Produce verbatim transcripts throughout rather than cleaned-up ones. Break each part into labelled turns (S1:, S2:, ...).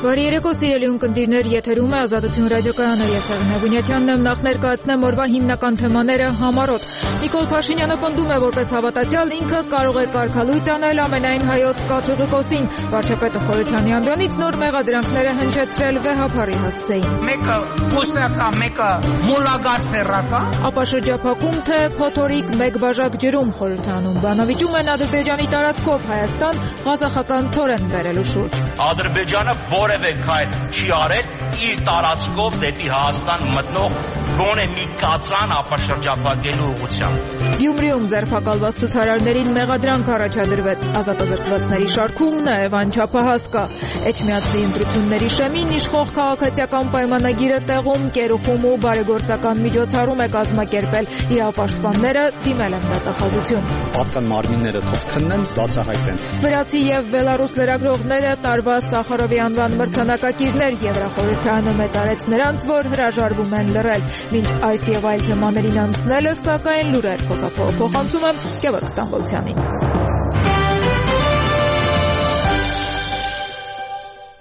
S1: Բարի երեկո, սիրելի ունկնդիրներ, եթերում է Ազատություն ռադիոկայանը, ես Եղնա Բունյաթյանն եմ, նախ ներկայացնեմ օրվա հիմնական թեմաները համառոտ։ Նիկոլ Փաշինյանը պնդում է, որպես հավատացյալ ինքը կարող է կարգալույծ անել ամենայն հայոց կաթողիկոսին։ Վարչապետը Խորհրդյանի ամբիոնից նոր մեղադրանքները հնչեցրել վեհափառի հասցեին։
S2: Մեկը բուսական, մեկը մոլագարսերական։
S1: Ապա շրջափակում թե փոթորիկ մեկ բաժակ ջրում Խորհրդյանում բանավիճում են Ադրբեջանի տարածքով Հայաստան ղազախական ցորեն բերելու շուրջ։
S3: Ադրբեջանը որևէ քայլ չի արել իր տարածքով դեպի Հայաստան մտնող գոնե մի կածան ապաշրջափակելու ուղղությամբ։
S1: Գյումրիում ձերբակալված ցուցարարներին մեղադրանք առաջադրվեց։ Ազատազրկվածների շարքումն է անչափահաս կա։ Էջմիածնի ընտրությունների շեմին իշխող քաղաքացիական պայմանագիրը տեղում կերուխում ու բարեգործական միջոցառում է կազմակերպել։ Իրավապաշտպանները դիմել են դատախազություն։
S4: Պատկան մարմինները թող քննեն, բացահայտեն։
S1: Վրացի եւ բելարուս լրագրողները տարվա Սախարովի անվան մրցանակակիրներ Եվրախորհրդյանը մեծարեց նրանց, որ հրաժարվում են լռել։ Մինչ այս եւ այլ թեմաներին անցնելը, սակայն լուրեր փոխանցում եմ Գևորգ Ստամբոլցյանին։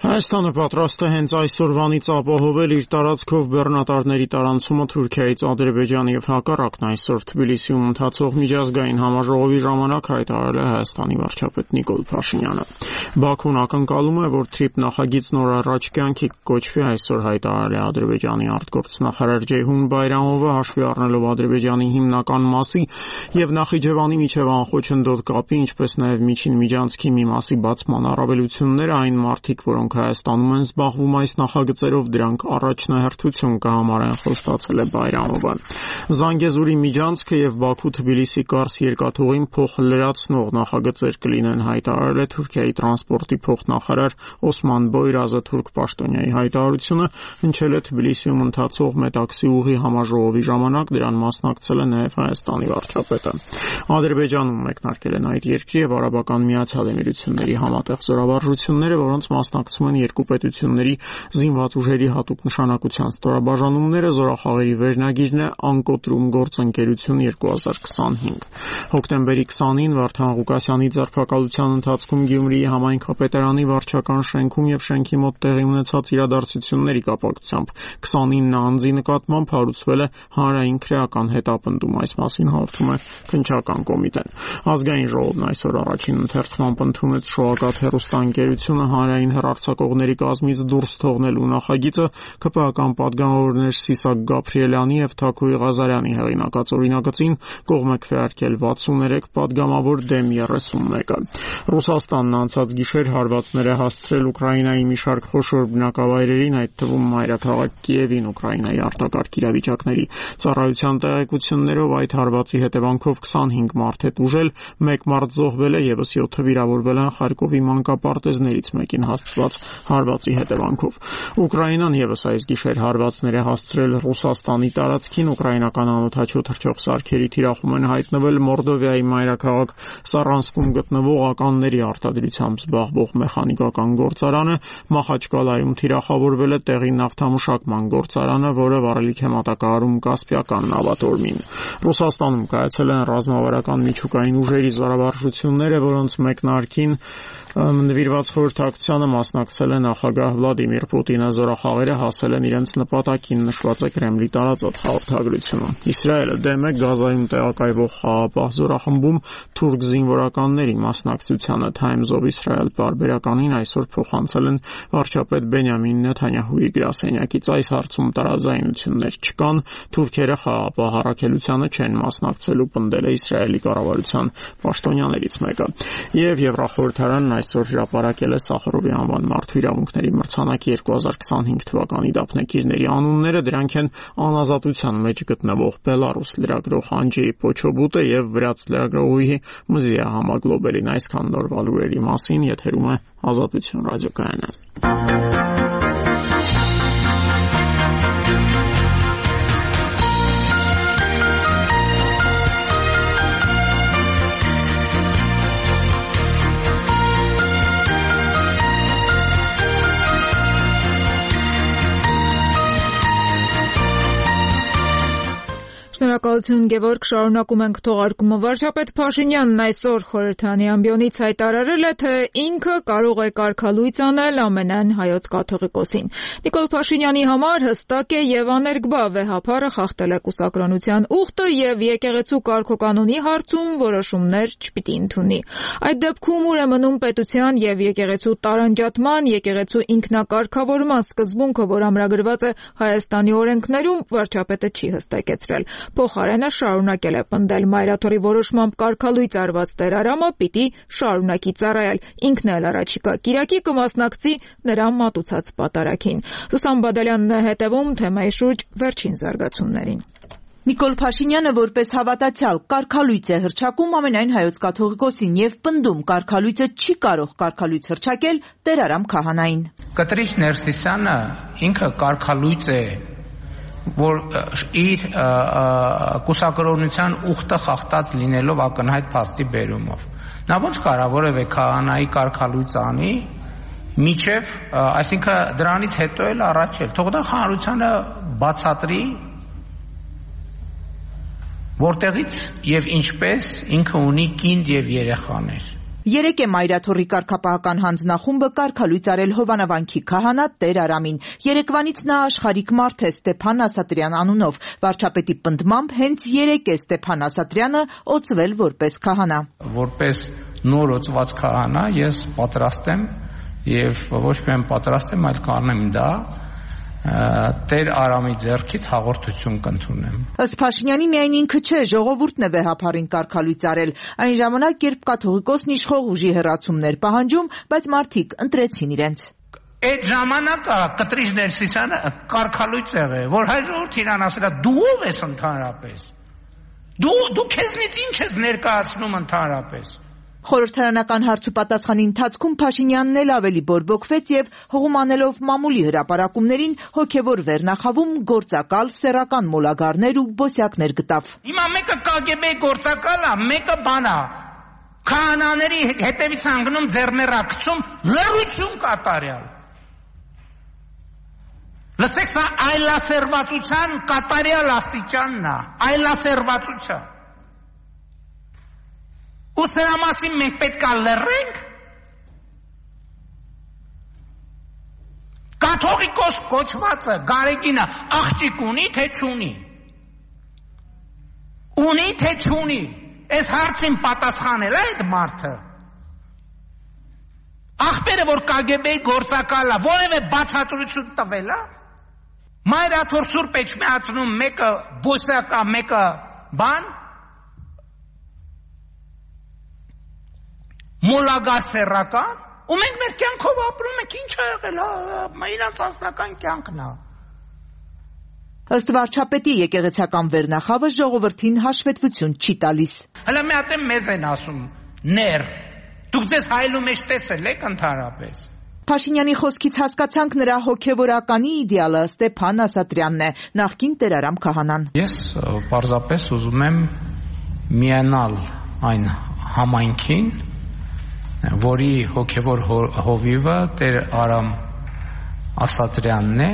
S5: Հայաստանը պատրաստ է հենց այսօրվանից ապահովել իր տարածքով բեռնատարների տարանցումը Թուրքիայից Ադրբեջանի եւ հակառակն այսօր Թբիլիսիում ընթացող միջազգային համաժողովի ժամանակ հայտարարել է Հայաստանի վարչապետ Նիկոլ Փաշինյանը։ Բաքուն ակնկալում է, որ թրիփ նախագիծն օր առաջ կյանքի կոչվի, այսօր հայտարարել է Ադրբեջանի արտգործնախարար Ջեյհուն Բայրամովը, հաշվի առնելով Ադրբեջանի հիմնական մասի եւ Նախիջևանի միջև անխոչնդոտ կապի, ինչպես նաեւ միջին միջանցքի մի մասի բացման առավելությունները, այն մարդիկ, որոնք Հայաստանում են զբաղվում այս նախագծերով, դրանք առաջնահերթություն կհամարեն, խոստացել է Բայրամովը։ Զանգեզուրի միջանցքը եւ Բաքու-Թբիլիսի Կարս երկաթուղին փոխլրացնող նախագծեր կլինեն, հայտարարել է Թուրքիայի տրանսպորտի փոխնախարար Օսման Բոյրազը։ Թուրք պաշտոնյայի հայտարարությունը հնչել է Թբիլիսիում ընթացող Մետաքսի ուղի համաժողովի ժամանակ, դրան մասնակցել է նաեւ Հայաստանի վարչապետը։ Ադրբեջանում մեկնարկել են այդ երկրի եւ Արաբական Միացյալ Էմիրությունների համատեղ զորավարժությունները, որոնց մասնակցում են երկու պետությունների զինված ուժերի հատուկ նշանակության ստորաբաժանումները։ Զորախաղերի վերնագիրն է «Անկոտրում գործընկերություն երկու հազար քսանհինգ»։ Հոկտեմբերի քսանին Վարդան Ղուկասյանի ձերբակալության ընթացքում Գյումրիի համայնքապետարանի վարչական շենքում եւ շենքի մոտ տեղի ունեցած իրադարձությունների կապակցությամբ քսանինը անձի նկատմամբ հարուցվել է հանրային քրեական հետապնդում։ Այս մասին հաղորդում է Քննչական կոմիտեն։ Ազգային ժողովն այսօր առաջին ընթերցմամբ ընդունեց շոակատ հեռուստաընկերությունը հանրային հեռարձակողների կազմից դուրս թողնելու նախագիծը ԿՊԱ-ական պատգամավորներ Սիսակ Գաբրիելյանի եւ Թաքուի Ղազարյանի հեղինակած օրինագծին կողմ է քվեարկել վաթսուներեք պատգամավոր դեմ երեսունմեկը։ Ռուսաստանն անցած գիշեր հարվածներ է հասցրել Ուկրաինայի մի շարք խոշոր բնակավայրերին, այդ թվում մայրաքաղաք Կիևին։ Ուկրաինայի արտակարգ իրավիճակների ծառայության տեղեկություններով այդ հարվածի հետևանքով քսանհինգ մարդ է տուժել, մեկ մարդ զոհվել է, եւս յոթը վիրավորվել են Խարկովի մանկապարտեզներից մեկին հասցված հարվածի հետևանքով։ Ուկրաինան եւս այս գիշեր հարվածներ է հասցրել Ռուսաստանի տարածքին։ Ուկրաինական անօդաչու թռչող սարքերի թիրախում են հայտնվել Մորդովիայի մայրաքաղաք Սարանսկում գտնվող ականների արտադրությամբ զբաղվող մեխանիկական գործարանը, Մախաչկալայում թիրախավորվել է տեղի նավթամշակման գործարանը, որը վարելիք է մատակարարում Կասպիական նավատորմին։ Ռուսաստանում կայացել են ռազմավարական միջուկային ուժերի զորավարժությունները, որոնց մեկնարկին նվիրված խորհրդակցությանը մասնակցել է նախագահ Վլադիմիր Պուտինը։ Զորախաղերը հասել են իրենց նպատակին, նշված է Կրեմլի տարածած հաղորդագրությունում։ Իսրայելը դեմ է Գազայում տեղակայվող խաղաղապահ զորախմբում թուրք զինվորականների մասնակցությանը։ Times of Israel պարբերականին այսօր փոխանցել են վարչապետ Բենյամին Նեթանյահուի գրասենյակից։ Այս հարցում տարաձայնություններ չկան, թուրքերը խաղաղապահ առաքելությանը չեն մասնակցելու, պնդել է Իսրայելի կառավարության պաշտոնյաներից մեկը։ Եվ Եվրախորհրդարանն այսօր հրապարակել է Սախարովի անվան մարդու իրավունքների մրցանակի երկու հազար քսանհինգ թվականի դափնեկիրների անունները։ Դրանք են անազատության մեջ գտնվող բելարուս լրագրող Անջեյ Պոչոբուտը եւ վրաց լրագրողուհի Մզիա Համագլոբերին։ Այսքան նորվա լուրերի մասին եթերում է Ազատություն ռադիոկայանը։
S1: Շնորհակալություն Գևորգ, շարունակում ենք թողարկումը։ Վարչապետ Փաշինյանն այսօր խորհրդանի ամբիոնից հայտարարել է, թե ինքը կարող է կարգալույծ անել ամենայն հայոց կաթողիկոսին։ Նիկոլ Փաշինյանի համար հստակ է եւ աներկբա վեհափառը խախտել է կուսակրոնության ուխտը եւ եկեղեցու կարգոկանոնի հարցում որոշումներ չպիտի ընդունի։ Այդ դեպքում ուր է մնում պետության եւ եկեղեցու տարանջատման, եկեղեցու ինքնակարգավորման սկզբունքը, որ ամրագրված է Հայաստանի օրենքներում, վարչապետը չի հստակեցրել։ Փոխարենը շարունակել է պնդել Մայրաթորի որոշմամբ կարգալույծ արված տերարամը պիտի շարունակի ծառայել, ինքն էլ առաջիկա կիրակի կմասնակցի նրա մատուցած պատարագին։ Սուսան Բադալյանն է հետևում թեմայի շուրջ վերջին զարգացումներին։
S6: Նիկոլ Փաշինյանը որպես հավատացյալ կարգալույծ է հռչակում ամենայն հայոց կաթողիկոսին եւ պնդում կարգալույծը չի կարող կարգալույծ հռչակել տերարամ քահանային։
S2: Կտրիչ Ներսիսյանը ինքը կարգալույծ է, որ իր կուսակրոնության ուխտը խախտած լինելով ակնհայտ փաստի բերումով։ Նա ոնց կարա որևէ քահանայի կարգալույծ անի, միջև, այսինքն դրանից հետո էլ առաջ էլ, թող դա հանրությանը բացատրի, որտեղից եւ ինչպես ինքը ունի կինդ եւ երեխաներ։
S6: Երեկ է Մայրաթորի կարգապահական հանձնախումբը կարգալույծ արել Հովանավանքի քահանա Տեր Արամին։ Երեկվանից նա աշխարհիկ մարդ է Ստեփան Ասատրյան անունով։ Վարչապետի պնդմամբ հենց երեկ է Ստեփան Ասատրյանը օծվել որպես քահանա։
S2: Որպես նոր օծված քահանա ես պատրաստ եմ եւ ոչ միայն պատրաստ եմ, այլ կանեմ դա Տեր Արամի ձեռքից հաղորդություն կընդունեմ։
S6: Ըստ Փաշինյանի միայն ինքը չէ, ժողովուրդն է վեհափառին կարգալույծ արել։ Այն ժամանակ, երբ կաթողիկոսն իշխող ուժի հեռացումներ պահանջում, բայց մարդիկ ընտրեցին իրենց։
S2: Այդ ժամանակը Կտրիչ Ներսիսյանը կարգալույծ եղել, որ հայ ժողովուրդ իրան ասել է դու ով ես ընդհանրապես։ Դու դու քեզնից ինչ ես ներկայացնում ընդհանրապես։
S6: Խորհրդարանական հարցուպատասխանի ընթացքում Փաշինյանն էլ ավելի բորբոքվեց եւ հողումանելով մամուլի հրապարակումներին հոգեվոր վերնախավում գործակալ սեռական մոլագարներ ու բոսյակներ գտավ։
S2: Հիմա մեկը Կ Գ B գործակալ է, մեկը բան է։ Քահանաների հետևից անգնում ձեռներակցում լռություն կատարյալ։ Լսեք, սա այլասերվածության կատարյալ աստիճանն է, այլասերվածության։ Ու սրա մասին մենք պետք է լռենք։ Կաթողիկոս կոչվածը Գարեգինը աղջիկ ունի, թե չունի։ Ունի, թե չունի։ Այս հարցին պատասխանել է այդ մարդը։ Ախպերը, որ Կ Գ B-ի գործակալ է, որևէ բացատրություն տվել է։ Մայրաթոր Սուրբ Էջմիածնում մեկը բոսյակ է, մեկը բան։ Մոլագար սեռական, ու մենք մեր կյանքով ապրում ենք, ինչ է եղել, իրանց անձնական կյանքն է։
S6: Ըստ վարչապետի եկեղեցական վերնախավը ժողովրդին հաշվետվություն չի տալիս։
S2: Հələ մի հատ մեզ են ասում, ներ, դուք ձեզ հայելու մեջ տեսել եք ընդհանրապես։
S6: Փաշինյանի խոսքից հասկացանք նրա հոգևորականի իդեալը Ստեփան Ասատրյանն է, նախկին տերարամ քահանան։
S2: Ես պարզապես ուզում եմ միանալ այն համայնքին, որի հոգևոր հովիվը Տեր Արամ Ասատրյանն է։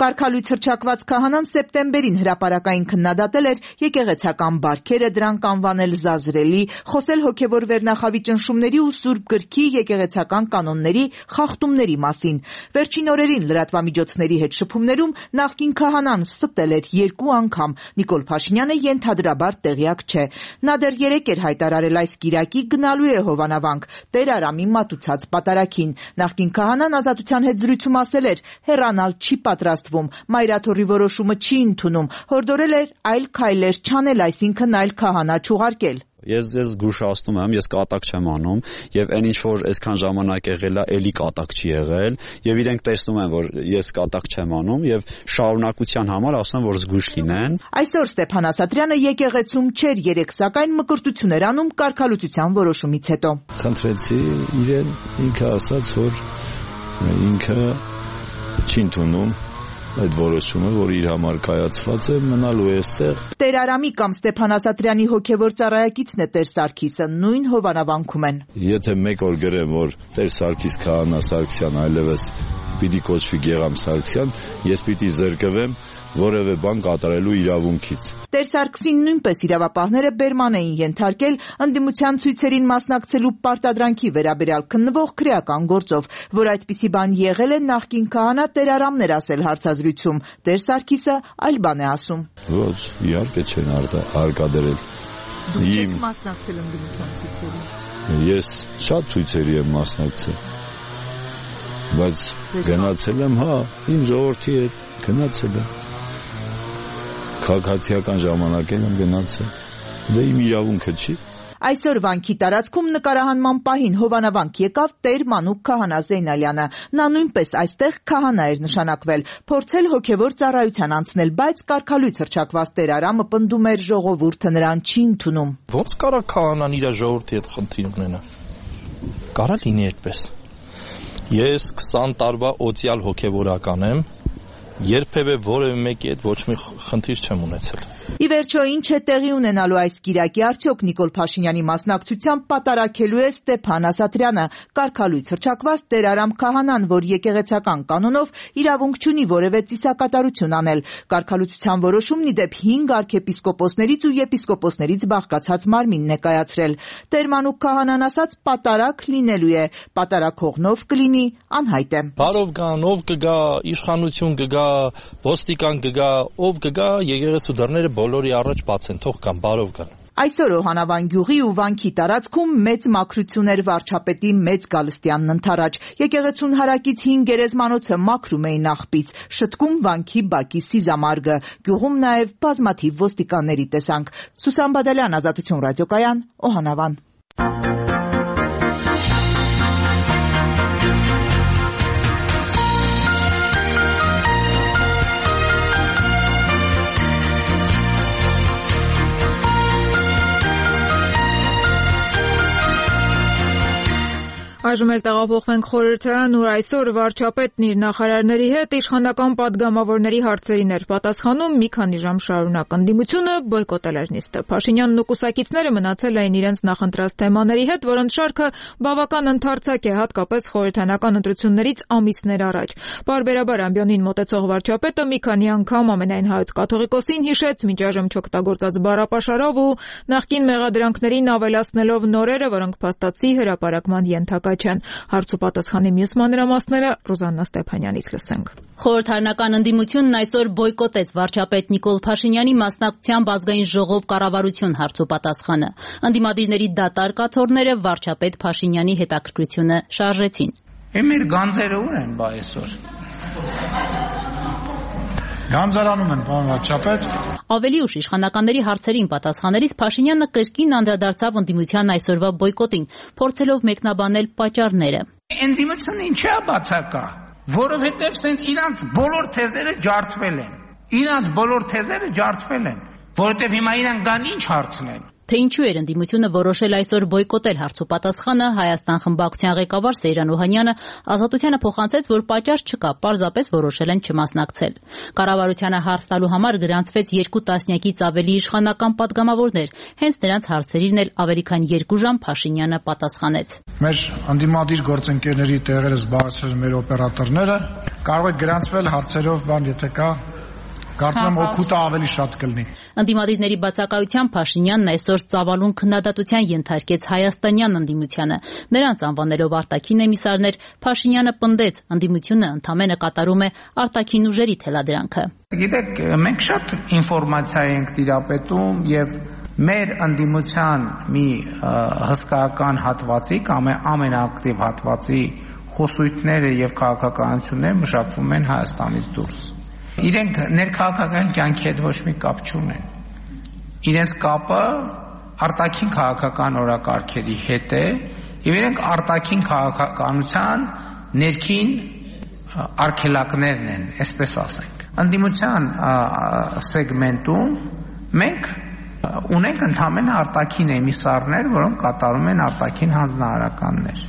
S6: Կարգալույծ հռչակված քահանան սեպտեմբերին հրապարակային քննադատել էր եկեղեցական բարքերը, դրանք անվանել զազրելի, խոսել հոգևոր վերնախավի ճնշումների ու Սուրբ Գրքի եկեղեցական կանոնների խախտումների մասին։ Վերջին օրերին լրատվամիջոցների հետ շփումներում նախկին քահանան ստել էր երկու անգամ։ Նիկոլ Փաշինյանը ենթադրաբար տեղյակ չէ։ Նա դեռ երեկ էր հայտարարել այս կիրակի գնալու է Հովանավանք Տեր Արամի մատուցած պատարագին։ Նախկին քահանան Ազատության հետ զրույցում ասել էր, հեռանալ չի պատրաստ Մայրաթորի որոշումը չի ընդունում, հորդորել էր այլ քայլեր չանել, այսինքն այլ քահանա չուղարկել։
S4: Ես ես զգուշացնում եմ, ես կատակ չեմ անում եւ այն ինչ որ այսքան ժամանակ եղել է, էլի կատակ չի եղել եւ իրենք տեսնում են, որ ես կատակ չեմ անում եւ շարունակության համար ասում են, որ զգույշ լինեն։
S6: Այսօր Ստեփան Ասատրյանը եկեղեցում չէր, երեք սակայն մկրտություն էր անում կարգալույծության որոշումից հետո։
S7: Խնդրեցի իրեն, ինքը ասաց, որ ինքը չի ընդունում այդ որոշումը, որ իր համար կայացված է, մնալու է այստեղ։
S6: Տեր Արամի կամ Ստեփան Ասատրյանի հոգևոր ծառայակիցն է Տեր Սարգիսը, նույն Հովանավանքում են։
S7: Եթե մեկ օր գրեմ, որ Տեր Սարգիս քահանա Սարգսյան այլևս պիտի կոչվի Գեղամ Սարգսյան, ես պիտի զրկվեմ որևէ բան կատարելու իրավունքից։
S6: Տեր Սարգսին նույնպես իրավապահները բերման էին ենթարկել ընդդիմության ցույցերին մասնակցելու պարտադրանքի վերաբերյալ քննվող քրեական գործով, որ այդպիսի բան եղել է նախկին քահանա Տեր Արամն էր ասել հարցազրույցում։ Տեր Սարգիսը այլ բան է ասում։
S7: Ոչ, իհարկե չեն արկադրել։
S6: Դուք չեք մասնակցել ընդդիմության ցույցերին։
S7: Ես շատ ցույցերի եմ մասնակցել, բայց գնացել եմ, հա, իմ ժողովրդի հետ գնացել եմ։ Քաղաքացիական ժամանակ եմ գնացել։ Դա իմ իրավունքը չի։
S6: Այսօր վանքի տարածքում նկարահանման պահին հովանավանք եկավ Տեր Մանուկ քահանա Զեյնալյանը։ Նա նույնպես այստեղ քահանա էր նշանակվել, փորձել հոգևոր ծառայության անցնել, բայց կարգալույց հռչակված Տեր Արամը պնդում էր ժողովուրդը նրան չի ընդունում։
S8: Ոնց կարա քահանան իր ժողովրդի հետ խնդիր ունենա։ Կարա լինի այդպես։ Ես քսան տարվա օծյալ հոգևորական եմ, երբևէ որևէ մեկի հետ ոչ մի խնդիր չեմ ունեցել։
S6: Ի վերջո ինչ է տեղի ունենալու այս կիրակի, արդյոք Նիկոլ Փաշինյանի մասնակցությամբ պատարակելու է Ստեփան Ասատրյանը, կարգալույց հռչակված Տեր Արամ քահանան, որ եկեղեցական կանոնով իրավունք չունի որևէ ծիսակատարություն անել։ Կարգալույցության որոշումն ի դեպ հինգ արքեպիսկոպոսներից ու եպիսկոպոսներից բաղկացած մարմինն է կայացրել։ Տեր Մանուկ քահանան ասաց պատարակ լինելու է, պատարակողնով կլինի անհայտ է։
S8: Բարով գան, ով կգա, իշխանություն կգա, ոստիկան կգա, ով կգա, եկեղեցու դռները բոլորի առաջ բաց են, թող կան, բարով գան։
S6: Այսօր Օհանավան գյուղի ու վանքի տարածքում մեծ մաքրություն էր վարչապետի Մեծ Գալստյանն ընթരാճ։ Եկեղեցուն հարակից հին գերեզմանոցը մաքրում էին աղբից, շտկում վանքի բակի սիզամարգը, գյուղում նաև բազմաթիվ ոստիկանների տեսանք։ Սուսան Բադալյան, Ազատություն ռադիոկայան, Օհանավան։
S1: Այժմ էլ տեղափոխվենք խորհրդարան, ուր այսօր վարչապետն իր նախարարների հետ իշխանական պատգամավորների հարցերին էր պատասխանում մի քանի ժամ շարունակ։ Ընդդիմությունը բոյկոտել էր նիստը։ Փաշինյանն ու կուսակիցները մնացել էին իրենց նախընտրած թեմաների հետ, որոնց շարքը բավական ընդարձակ է, հատկապես խորհրդարանական ընտրություններից ամիսներ առաջ։ Պարբերաբար ամբիոնին մոտեցող վարչապետը մի քանի անգամ ամենայն հայոց կաթողիկոսին հիշեց մինչ այժմ չօգտագործած բառապաշարով ու նախկին մեղադրանքներին ավելացնելով նորերը, որոնք փաստացի հրապարակման ենթակա չեն։ Հարց ու պատասխանի մյուս մանրամասները Ռուզաննա Ստեփանյանից լսենք։
S9: Խորհրդարանական ընդդիմությունն այսօր բոյկոտեց վարչապետ Նիկոլ Փաշինյանի մասնակցությամբ ազգային ժողով կառավարություն հարց ու պատասխանը։ Ընդդիմադիրների դատար կաթոռները վարչապետ Փաշինյանի հետաքրքրությունը շարժեցին։
S2: Մեր գանձերը ուր են բա այսօր։
S10: Գանձարանում են, պարոն վարչապետ։
S9: Ավելի ուշ իշխանականների հարցերին պատասխանելիս Փաշինյանը կրկին անդրադարձավ ընդդիմության այսօրվա բոյկոտին, փորձելով մեկնաբանել պատճառները։
S2: Ընդդիմությունը ինչի՞ է բացակա, որովհետև սենց իրանց բոլոր թեզերը ջարդվել են։ Իրանց բոլոր թեզերը ջարդվել են, որովհետև հիմա իրան կան ինչ հարցնեն։
S9: Թե ինչու էր ընդդիմությունը որոշել այսօր բոյկոտել հարց ու պատասխանը, Հայաստան խմբակցության ղեկավար Սեյրան Օհանյանը Ազատությանը փոխանցեց, որ պատճառ չկա, պարզապես որոշել են չմասնակցել։ Կառավարությանը հարց տալու համար գրանցվեց երկու տասնյակից ավելի իշխանական պատգամավորներ, հենց նրանց հարցերին էլ ավելի քան երկու ժամ Փաշինյանը պատասխանեց։
S10: Մեր ընդդիմադիր գործընկերների տեղերը զբաղեցրել մեր օպերատորները, կարող է գրանցվել հարցերով բան, եթե կա Կարծում եմ օգուտը ավելի շատ կլինի։
S9: Ընդդիմադիրների բացակայությամբ Փաշինյանն այսօր ծավալուն քննադատության ենթարկեց հայաստանյան ընդդիմությանը։ Նրանց անվանելով արտաքին էմիսարներ, Փաշինյանը պնդեց, ընդդիմությունը ընդամենը կատարում է արտաքին ուժերի թելադրանքը։
S2: Գիտեք, մենք շատ ինֆորմացիա ենք տիրապետում եւ մեր ընդդիմության մի հսկայական հատվածի կամ ամենաակտիվ հատվածի խոսույթները եւ քաղաքականությունները մշակվում են Հայաստանից դուրս։ Իրենք ներքաղաքական կյանքի հետ ոչ մի կապ չունեն։ Իրենց կապը արտաքին քաղաքական օրակարգերի հետ է, եւ իրենք արտաքին քաղաքականության ներքին արգելակներն են, այսպես ասենք։ Ընդդիմության սեգմենտում մենք ունենք ընդհանրապես արտաքին էմիսարներ, որոնք կատարում են արտաքին հանձնարարականներ։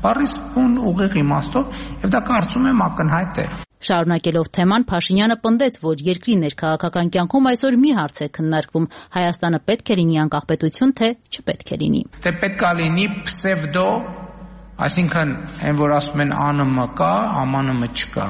S2: Բառից բուն ուղիղ իմաստով, եւ դա կարծում եմ ակնհայտ է։
S9: Շարունակելով թեման, Փաշինյանը պնդեց, որ երկրի ներքաղաքական կյանքում այսօր մի հարց է քննարկվում. Հայաստանը պետք է լինի անկախպետություն, թե չպետք է լինի։
S2: Թե պետք է լինի պսևդո, այսինքն այն որ ասում են ԱՆՄ կա, ԱՄԱՆՄ չկա։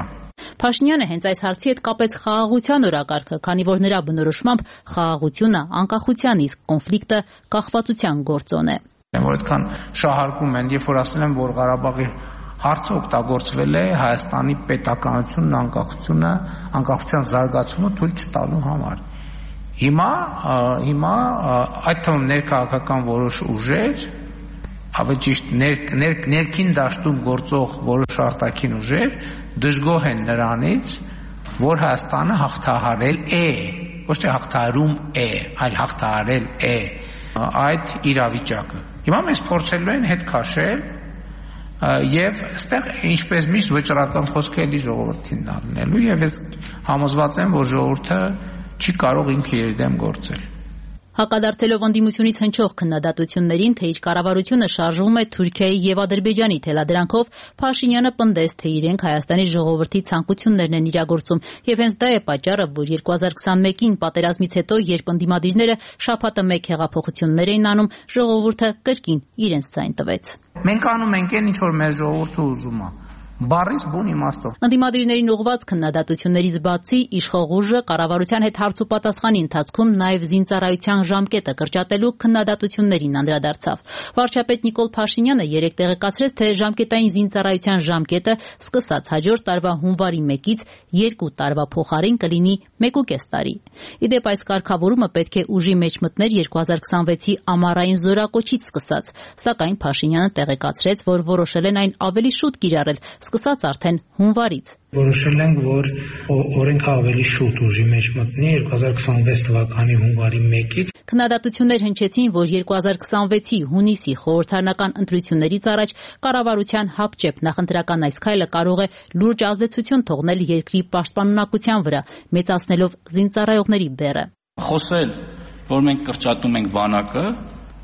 S9: Փաշինյանը հենց այս հարցի հետ կապեց խաղաղության օրակարգը, քանի որ նրա բնորոշմամբ խաղաղությունը անկախության, իսկ կոնֆլիկտը կախվածության գործոն է։
S2: Որ այդքան շահարկում են, երբ որ ասել են, որ Ղարաբաղի հարցը օգտագործվել է Հայաստանի պետականությունն, անկախությունը, անկախության զարգացումը թույլ չտալու համար։ Հիմա, հիմա այդ թվում ներքաղաքական որոշ ուժեր, ավելի ճիշտ ներ, ներ, ներքին դաշտում գործող որոշ արտաքին ուժեր դժգոհ են նրանից, որ Հայաստանը հաղթահարել է, ոչ թե հաղթահարում է, այլ հաղթահարել է այդ իրավիճակը։ Հիմա մեզ փորձելու են հետ քաշել եւ այստեղ ինչպես միշտ վճռական խոսք էլի ժողովրդին դառնելու եւ ես համոզված եմ, որ ժողովուրդը չի կարող ինքը իր դեմ գործել։
S9: Հակադարձելով անդիմությունից հնչող քննադատություններին, թե իր կառավարությունը շարժվում է Թուրքիայի եւ Ադրբեջանի թելադրանքով, Փաշինյանը պնդեց, թե իրենք Հայաստանի ժողովրդի ցանկություններն են իրագործում, եւ հենց դա է պատճառը, որ երկու հազար քսանմեկին պատերազմից հետո, երբ անդիմադիրները շաբաթը մեկ հեղափոխություններ էին անում, ժողովուրդը կրկին իրենց ցայն տվեց։
S2: Մենք անում ենք այն, ինչ որ մեր ժողովուրդը ուզում է։ Բարից բուն իմաստով։
S9: Անդիմադիրներին ուղղված քննադատություններից բացի իշխող ուժը կառավարության հետ հարց ու պատասխանի ընթացքում նաև զինծառայության ժամկետը կրճատելու քննադատություններին անդրադարձավ։ Վարչապետ Նիկոլ Փաշինյանը երեկ տեղեկացրեց, թե ժամկետային զինծառայության ժամկետը սկսած հաջորդ տարվա հունվարի մեկից երկու տարվա փոխարեն կլինի մեկուկես տարի։ Ի դեպ, այս կարգավորումը պետք է ուժի մեջ մտներ երկու հազար քսանվեցի ամառային զորակոչից սկսած, սակայն Փաշինյանը տեղեկացրեց, որ որոշել են այն ավելի շուտ կիրառել, սկսած արդեն հունվարից։
S11: Որոշել ենք, որ օրենքը ավելի շուտ ուժի մեջ մտնի երկու հազար քսանվեց թվականի հունվարի մեկից։
S9: Քննադատություններ հնչեցին, որ երկու հազար քսանվեցի հունիսի խորհրդարանական ընտրություններից առաջ կառավարության հապճեպ նախընտրական այս քայլը կարող է լուրջ ազդեցություն թողնել երկրի պաշտպանունակության վրա, մեծացնելով զինծառայողների բեռը։
S12: Խոսել, որ մենք կրճատում ենք բանակը,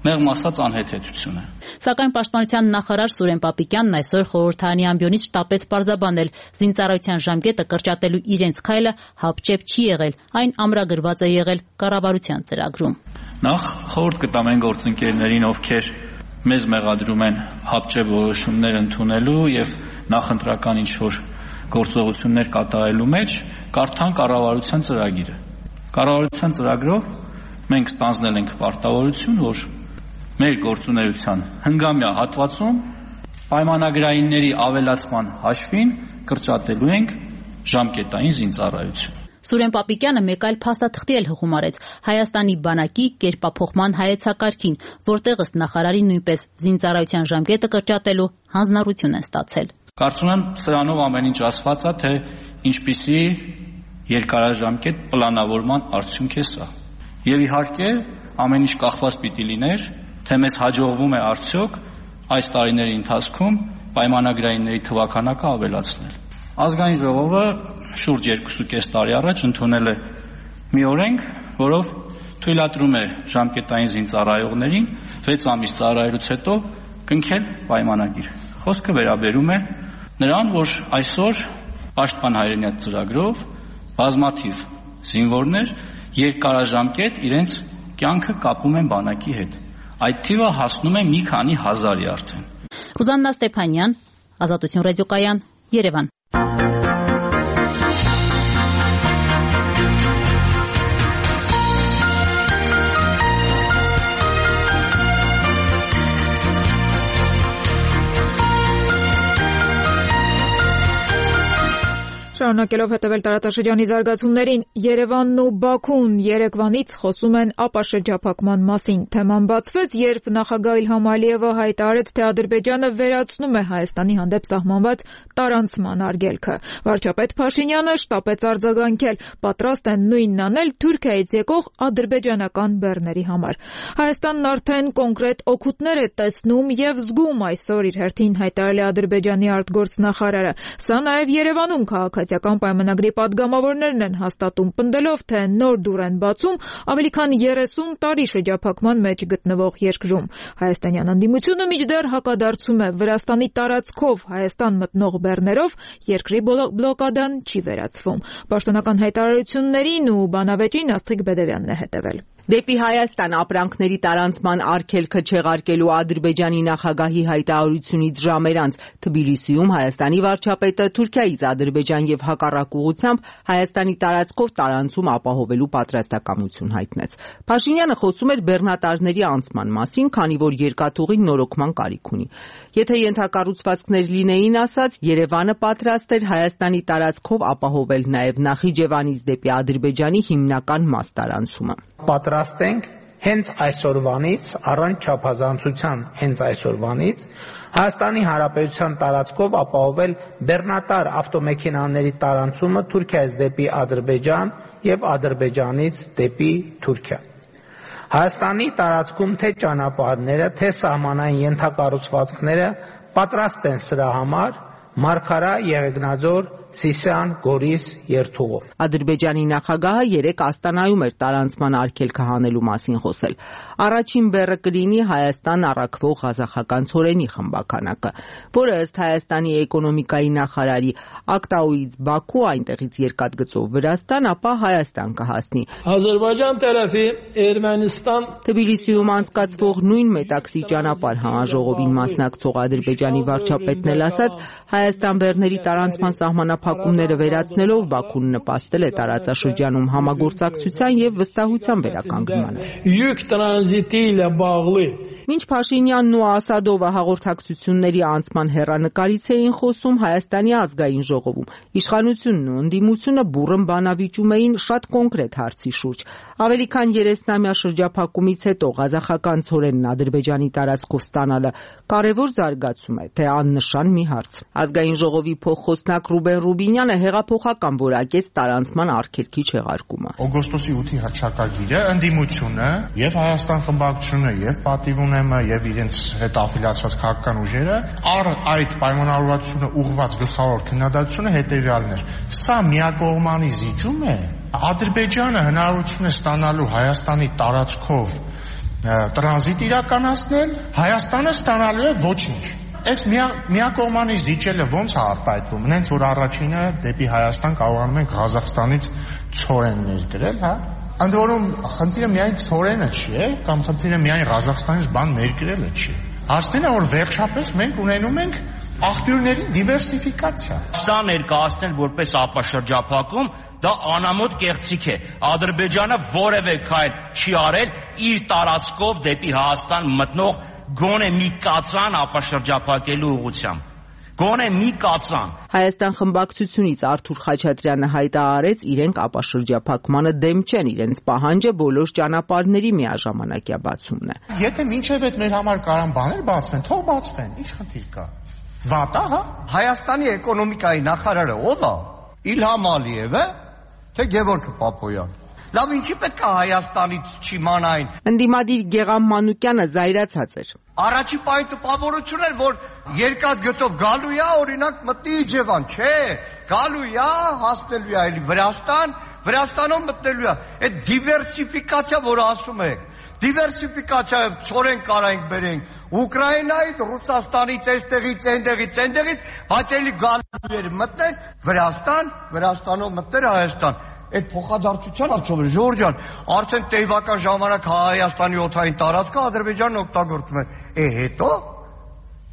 S12: մեղմ ասած անհեթեթություն է։
S9: Սակայն պաշտպանության նախարար Սուրեն Պապիկյանն այսօր խորհրդարանի ամբիոնից շտապեց պարզաբանել, զինծառայության ժամկետը կրճատելու իրենց քայլը հապճեպ չի եղել, այն ամրագրված է եղել կառավարության ծրագրում։
S12: Նախ խորհուրդ կտամ այն գործընկերներին, ովքեր մեզ մեղադրում են հապճեպ որոշումներ ընդունելու եւ նախընտրական ինչ-որ գործողություններ կատարելու մեջ, կարդան կառավարության ծրագիրը։ Կառավարության ծրագրով մենք ստանձնել ենք պարտավորություն, որ մեր գործունեության հնգամյա հատվածում պայմանագրայինների ավելացման հաշվին կրճատելու ենք ժամկետային զինծառայություն։
S9: Սուրեն Պապիկյանը մեկ այլ փաստաթղթի էլ հղում արեց Հայաստանի բանակի կերպափոխման հայեցակարգին, որտեղ ըստ նախարարի նույնպես զինծառայության ժամկետը կրճատելու հանձնառություն են ստացել։
S12: Կարծում եմ սրանով ամեն ինչ ասված է, թե ինչպիսի երկարաժամկետ պլանավորման արդյունք է սա։ Եվ իհարկե ամեն ինչ կախված պիտի լիներ, թե մեզ հաջողվում է արդյոք այս տարիների ընթացքում պայմանագրայինների թվականակը ավելացնել։ Ազգային ժողովը շուրջ երկուսուկես տարի առաջ ընդունել է մի օրենք, որով թույլատրում է ժամկետային զինծառայողներին վեց ամիս ծառայելուց հետո կնքել պայմանագիր։ Խոսքը վերաբերում է նրան, որ այսօր Պաշտպան հայրենիաց ծրագրով բազմաթիվ զինվորներ երկարաժամկետ իրենց կյանքը կապում են բանակի հետ։ Այդ թիվը հասնում է մի քանի հազարի արդեն։
S9: Ռուզաննա Ստեփանյան, Ազատություն ռադիոկայան, Երևան։
S1: Շարունակելով հետևել տարածաշրջանի զարգացումներին, Երևանն ու Բաքուն Երևանից խոսում են ապաշրջափակման մասին։ Թեման բացվեց, երբ նախագահ Իլհամ Ալիևը հայտարարեց, թե Ադրբեջանը վերացնում է Հայաստանի հանդեպ սահմանված տարանցման արգելքը։ Վարչապետ Փաշինյանը շտապեց արձագանքել, պատրաստ են նույնն անել Թուրքիայից եկող ադրբեջանական բեռների համար։ Հայաստանն արդեն կոնկրետ օգուտներ է տեսնում եւ զգում, այսօր իր հերթին հայտարարել է Ադրբեջանի արտգործնախարարը։ Սա նաեւ Երևանում քաղաքացիական պայմանագրի падգամավորներն են հաստատում, պնդելով, թե նոր դուռ են բացում ավելի քան երեսուն տարի շրջափակման մեջ գտնվող երկրում։ Հայաստանյան անդիմությունը մինչդեռ հակադարձում է Վրաստանի տարածքով Հայաստան մտնող բեռներով երկրի բլոկադան չի վերացվում։ Պաշտոնական հայտարարություններին ու բանավեճին Աստղիկ Բեդևյանն է հետևել։
S13: Դեպի Հայաստան ապրանքների տարանցման արգելքը չեղարկելու Ադրբեջանի նախագահի հայտարարությունից ժամեր անց Թբիլիսիում Հայաստանի վարչապետը Թուրքիայից Ադրբեջան եւ հակառակ ուղղությամբ Հայաստանի տարածքով տարանցում ապահովելու պատրաստակամություն հայտնեց։ Փաշինյանը խոսում էր բեռնատարների անցման մասին, քանի որ երկաթուղին նորոգման կարիք ունի։ Եթե ենթակառուցվածքներ լինեին, ասած, Երևանը պատրաստ էր Հայաստանի տարածքով ապահովել նաեւ Նախիջևանից դեպի Ադրբեջանի հիմնական մաս տարանցումը։
S14: Պատրաստ ենք հենց այսօրվանից, առանց չափազանցության հենց այսօրվանից Հայաստանի Հանրապետության տարածքով ապահովել բեռնատար ավտոմեքենաների տարանցումը Թուրքիայից դեպի Ադրբեջան եւ Ադրբեջանից դեպի Թուրքիա։ Հայաստանի տարածքում թե ճանապարհները, թե սահմանային ենթակառուցվածքները պատրաստ են սրա համար Մարգարա, Եղեգնաձոր, Սիսիան, Գորիս երթուղով։
S13: Ադրբեջանի նախագահը երեկ Աստանայում էր տարանցման արգելքը հանելու մասին խոսել։ Առաջին բեռը կլինի Հայաստան առաքվող ղազախական ցորենի խմբականակը, որը ըստ Հայաստանի էկոնոմիկայի նախարարի Ակտաուից Բաքու, այնտեղից երկաթգծով Վրաստան, ապա Հայաստան կհասնի։
S15: Ադրբեջան տարածի Էրմենստան
S13: Թբիլիսիում անցկացվող նույն Մետաքսի ճանապարհ համաժողովին մասնակցող Ադրբեջանի վարչապետն էլ ասաց, Հայաստան բեռների տարանցման սահմանափակումները վերացնելով Բաքուն նպաստել է տարածաշրջանում համագործակցության եւ վստահության վերականգնմանը։
S15: Յուկ տրանզիտի լաբաղլի
S13: Մինչ Փաշինյանն ու Ասադովը հաղորդակցությունների անցման հեռանկարից էին խոսում Հայաստանի ազգային ժողովում, իշխանությունն ու ընդդիմությունը բուռն բանավիճում էին շատ կոնկրետ հարցի շուրջ։ Ավելի քան երեսնամյա շրջափակումից հետո ղազախական ցորենն Ադրբեջանի տարածքով ստանալը կարևոր զարգացում է, թե աննշան մի հարց։ Ազգային ժողովի փոխխոսնակ Ռուբեն Ռուբինյանը հեղափոխական որակեց տարանցման արգելքի չեղարկումը։
S16: Օգոստոսի ութի հռչակագիրը ընդդիմությունը եւ Հայաստան խմբակցությունը եւ Պատիվունեմը եւ իրենց հետ աֆիլիացված քաղաքական ուժերը առ այդ պայմանավորվածությունը ուղղված գլխավոր քննադատությունը հետեւյալն էր. սա միակողմանի զիջում է, Ադրբեջանը հնարավորություն է ստանալու Հայաստանի տարածքով տրանզիտ իրականացնել, Հայաստանը ստանալու է ոչինչ։ Այս միակողմանի զիջելը ո՞նց է արտահայտվում։ Նենց որ առաջինը դեպի Հայաստան կարողանում ենք Ղազախստանից ցորեն ներկրել, հա։ Ընդ որում խնդիրը միայն ցորենը չի, կամ խնդիրը միայն Ղազախստանից բան ներկրելը չի։ Հասնելը որ վերջապես մենք ունենում ենք աղբյուրների դիվերսիֆիկացիա։
S3: Սա ներկայացնել որպես ապաշրջափակում դա անամոթ կեղծիք է։ Ադրբեջանը որևէ քայլ չի արել իր տարածքով դեպի Հայաստան մտնող գոնե մի կածան ապաշրջափակելու ուղղությամբ։ Գոնե մի կածան։
S13: Հայաստան խմբակցությունից Արթուր Խաչատրյանը հայտարարեց իրենք ապաշրջափակմանը դեմ չեն, իրենց պահանջը բոլոր ճանապարհների միաժամանակյա բացումն է։
S16: Եթե մինչև այդ մեր համար կարան բաներ բացվեն, թող բացվեն, ի՞նչ խնդիր կա։ Վատ է, հա։
S17: Հայաստանի էկոնոմիկայի նախարարը ո՞վ է։ Իլհամ Ալիևը, թե Գևորգ Պապոյան։ Լավ, ինչի պետք է Հայաստանից չիմանային։
S13: Ընդդիմադիր Գեգամ Մանուկյանը զայրացած էր։
S17: Առաջի պահի տպավորություն էր, որ երկաթգծով գալու է, օրինակ մտնի Իջևան, չէ, գալու է, հասնելու է այլ Վրաստան, Վրաստանով մտնելու է։ Այդ դիվերսիֆիկացիա, որ ասում եք, դիվերսիֆիկացիայով ցորեն կարանք բերենք Ուկրաինայից, Ռուսաստանից, այստեղից, այնտեղից, այնտեղից, հաճելի գալու էր մտնել Վրաստան, Վրաստանով մտնել Հայաստան։ Այդ փոխադարձության արդյոք Ժորժ ջան, արդեն տեյվական ժամանակ Հայաստանի օդային տարածքը Ադրբեջանն օգտագործում է։ Է հետո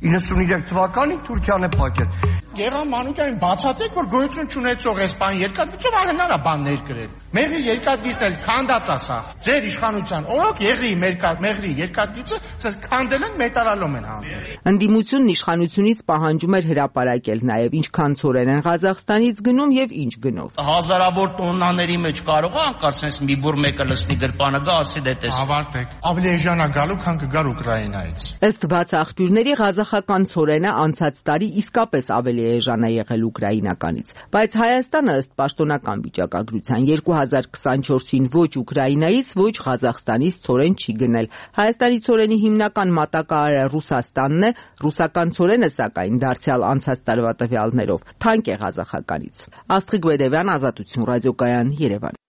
S17: իննսուններեք թվականին Թուրքիան է փակել։
S16: Գեգամ Մանուկյանին բացատրեք, որ գոյություն չունեցող այս բան երկաթգծով ահնար է բան ներկրել։ Մեղրի երկաթգիծն էլ քանդած է սա։ Ձեր իշխանության օրոք եղի մեղրի երկաթգիծը ցած քանդել են, մետալալում են հանձնել։
S13: Ընդդիմությունն իշխանությունից պահանջում էր հրապարակել նաև ինչքան ցորեն են Ղազախստանից գնում եւ ինչ գնով։
S3: Հազարավոր տոննաների մեջ կարող է անկարծ sense մի բուր մեկը լցնի գրպանը գա, ասի դե տես։
S16: Ավարտեք։ Ավելի էժան է գալու, քան կգար Ուկրաինայից։
S13: Ըստ բաց աղբյուրների Ղազախական ցորենը անցած տարի իսկապես ավելի էժան է եղել ուկրաինականից, բայց Հայաստանը ըստ պաշտոնական վիճակագրության երկու հազար քսանչորսին ոչ Ուկրաինայից, ոչ Ղազախստանից ցորեն չի գնել։ Հայաստանի ցորենի հիմնական մատակարարը Ռուսաստանն է, ռուսական ցորենը սակայն դարձյալ անցած տարվա տվյալներով թանկ է Ղազախականից։ Աստղիկ Բեդևյան, Ազատություն ռադիոկայան, Երևան։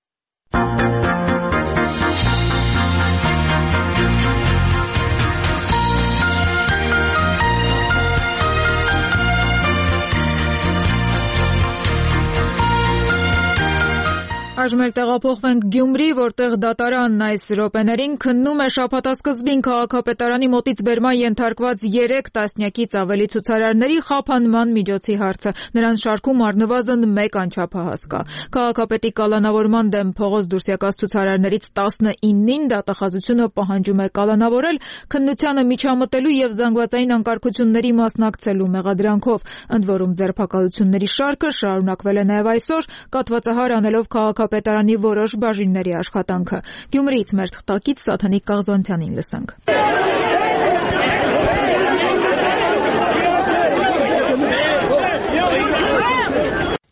S1: Այժմ էլ տեղափոխվենք Գյումրի, որտեղ դատարանն այս րոպեներին քննում է շաբաթասկզբին քաղաքապետարանի մոտից բերման ենթարկված երեք տասնյակից ավելի ցուցարարների խափանման միջոցի հարցը։ Նրանց շարքում առնվազն մեկ անչափահաս կա։ Քաղաքապետի կալանավորման դեմ փողոց դուրս եկած ցուցարարներից տասնինին դատախազությունը պահանջում է կալանավորել քննությանը միջամտելու եւ զանգվածային անկարգությունների մասնակցելու մեղադրանքով։ Ընդ որում ձերբակալությունների շարքը շարունակվել է նաեւ այսօր, կատվածահար անելով քաղաքապետարանի որոշ բաժինների աշխատանքը։ Գյումրիից մեր թղթակից Սաթանիկ Կաղզանցյանին լսենք։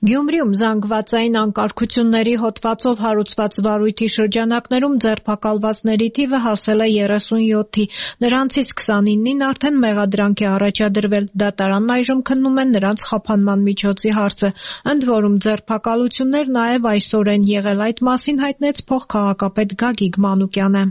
S18: Գյումրիում զանգվածային անկարգությունների հոդվածով հարուցված վարույթի շրջանակներում ձերբակալվածների թիվը հասել է երեսունյոթի, նրանցից քսանինին արդեն մեղադրանք է առաջադրվել, դատարանն այժմ քննում է նրանց խափանման միջոցի հարցը, ընդ որում ձերբակալություններ նաև այսօր են եղել, այդ մասին հայտնեց փոխքաղաքապետ Գագիկ Մանուկյանը։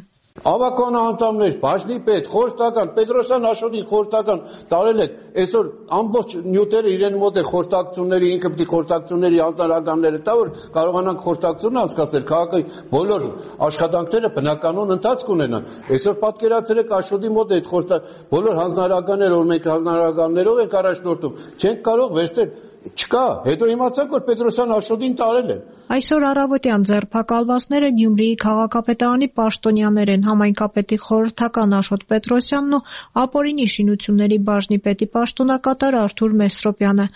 S19: Ավականն անդամներ, բաժնի պետ, խորհրդական, Պետրոսյան Աշոտին խորհրդական տարել եք, այսօր ամբողջ նյութերը իրեն մոտ է խորհրդակցությունների, ինքը պիտի խորհրդակցությունների անձնարարականները տա, որ կարողանանք խորհրդակցություն անցկացնել, քաղաքի բոլոր աշխատանքները բնականon ընթացք ունենան։ Այսօր պատկերացրեք Աշոտի մոտ այդ խորհրդակ բոլոր հանձնարարականները, որ մենք հանձնարարականներով ենք առաջնորդում, չենք կարող վերցնել չկա, հետո իմացանք, որ Պետրոսյան Աշոտին տարել են։
S18: Այսօր առավոտյան ձերբակալվածները Գյումրիի քաղաքապետարանի պաշտոնյաներ են, համայնքապետի խորհրդական Աշոտ Պետրոսյանն ու ապօրինի շինությունների բաժնի պետի պաշտոնակատար Արթուր Մեսրոպյանը։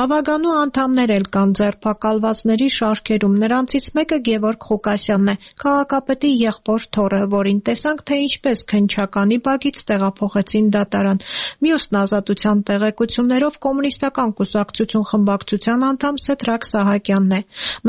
S18: Ավագանու անդամներ էլ կան ձերբակալվածների շարքերում, նրանցից մեկը Գևորգ Ղուկասյանն է, քաղաքապետի եղբոր թոռը, որին տեսանք, թե ինչպես քննչականի բակից տեղափոխեցին դատարան։ Մյուսն ազատության տեղեկություններով կոմունիստական կուսակցություն խմբակցության անդամ Սեդրակ Սահակյանն է։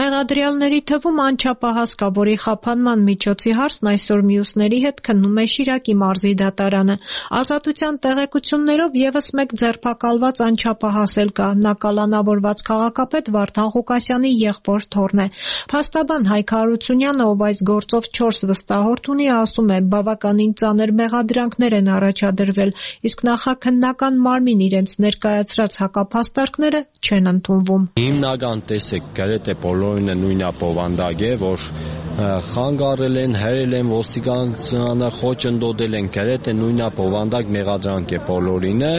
S18: Մեղադրյալների թվում անչափահաս կա, որի խափանման միջոցի հարցն այսօր մյուսների հետ քննում է Շիրակի մարզի դատարանը։ Ազատության տեղեկություններով եւս մեկ ձերբակալված անչափահաս էլ կա, նա կալանավորված քաղաքապետ Վարդան Ղուկասյանի եղբոր թոռն է։ Փաստաբան Հայկ Հարությունյանը, ով այս գործով չորս վստահորդ ունի, ասում է, բավականին ծանր մեղադրանքներ են առաջադրվել, իսկ նախաքննական մարմին իրենց ներկայացրած հակափաստարկները չեն ընդունվում։
S20: Հիմնական տեսեք, գրեթե բոլորինը նույնապովանդակ է, որ խանգարել են, հերել են ոստիկանությանը, խոչընդոտել են, գրեթե նույնապովանդակ մեղադրանք է բոլորինը,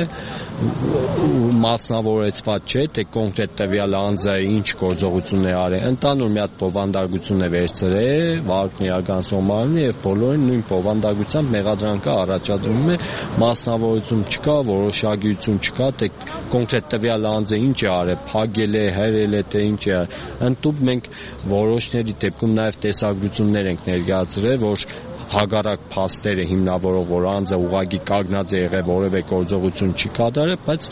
S20: մասնավորեցված չէ, թե կոնկրետ տվյալ անձը ինչ գործողություն է արել, ընդհանուր մի հատ բովանդակություն է վերցրել, վարորդն իրականացնող մարմինը եւ բոլորին նույն բովանդակությամբ մեղադրանքը առաջադրվում է, մասնավորություն չկա, որոշակիություն չկա, թե կոնկրետ տվյալ անձը ինչ է արել, փակել է, հերել է, թե ինչ է։ Ընդդուպ մենք որոշների դեպքում նաև տեսագրություններ ենք ներկայացրել, որ հագարակ փաստերը հիմնավորող, որ անձը ուղղակի կանգնած է եղել, որևէ գործողություն չի կատարել, բայց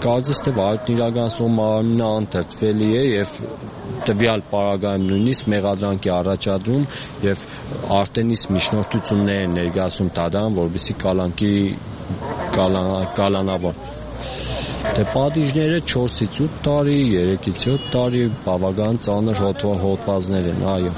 S20: կարծես թե վարորդն իրականացնող մարմինը անդրդվելի է եւ տվյալ պարագայում նույնիսկ մեղադրանքի առաջադրում եւ արդեն իսկ միջնորդություններ են ներկայացնում դատարան, որպեսզի կալանքի կալանավոր Դե պատիժները չորսից ութ տարի, երեքից յոթ տարի, բավական ծանր հոդվածներ են, այո։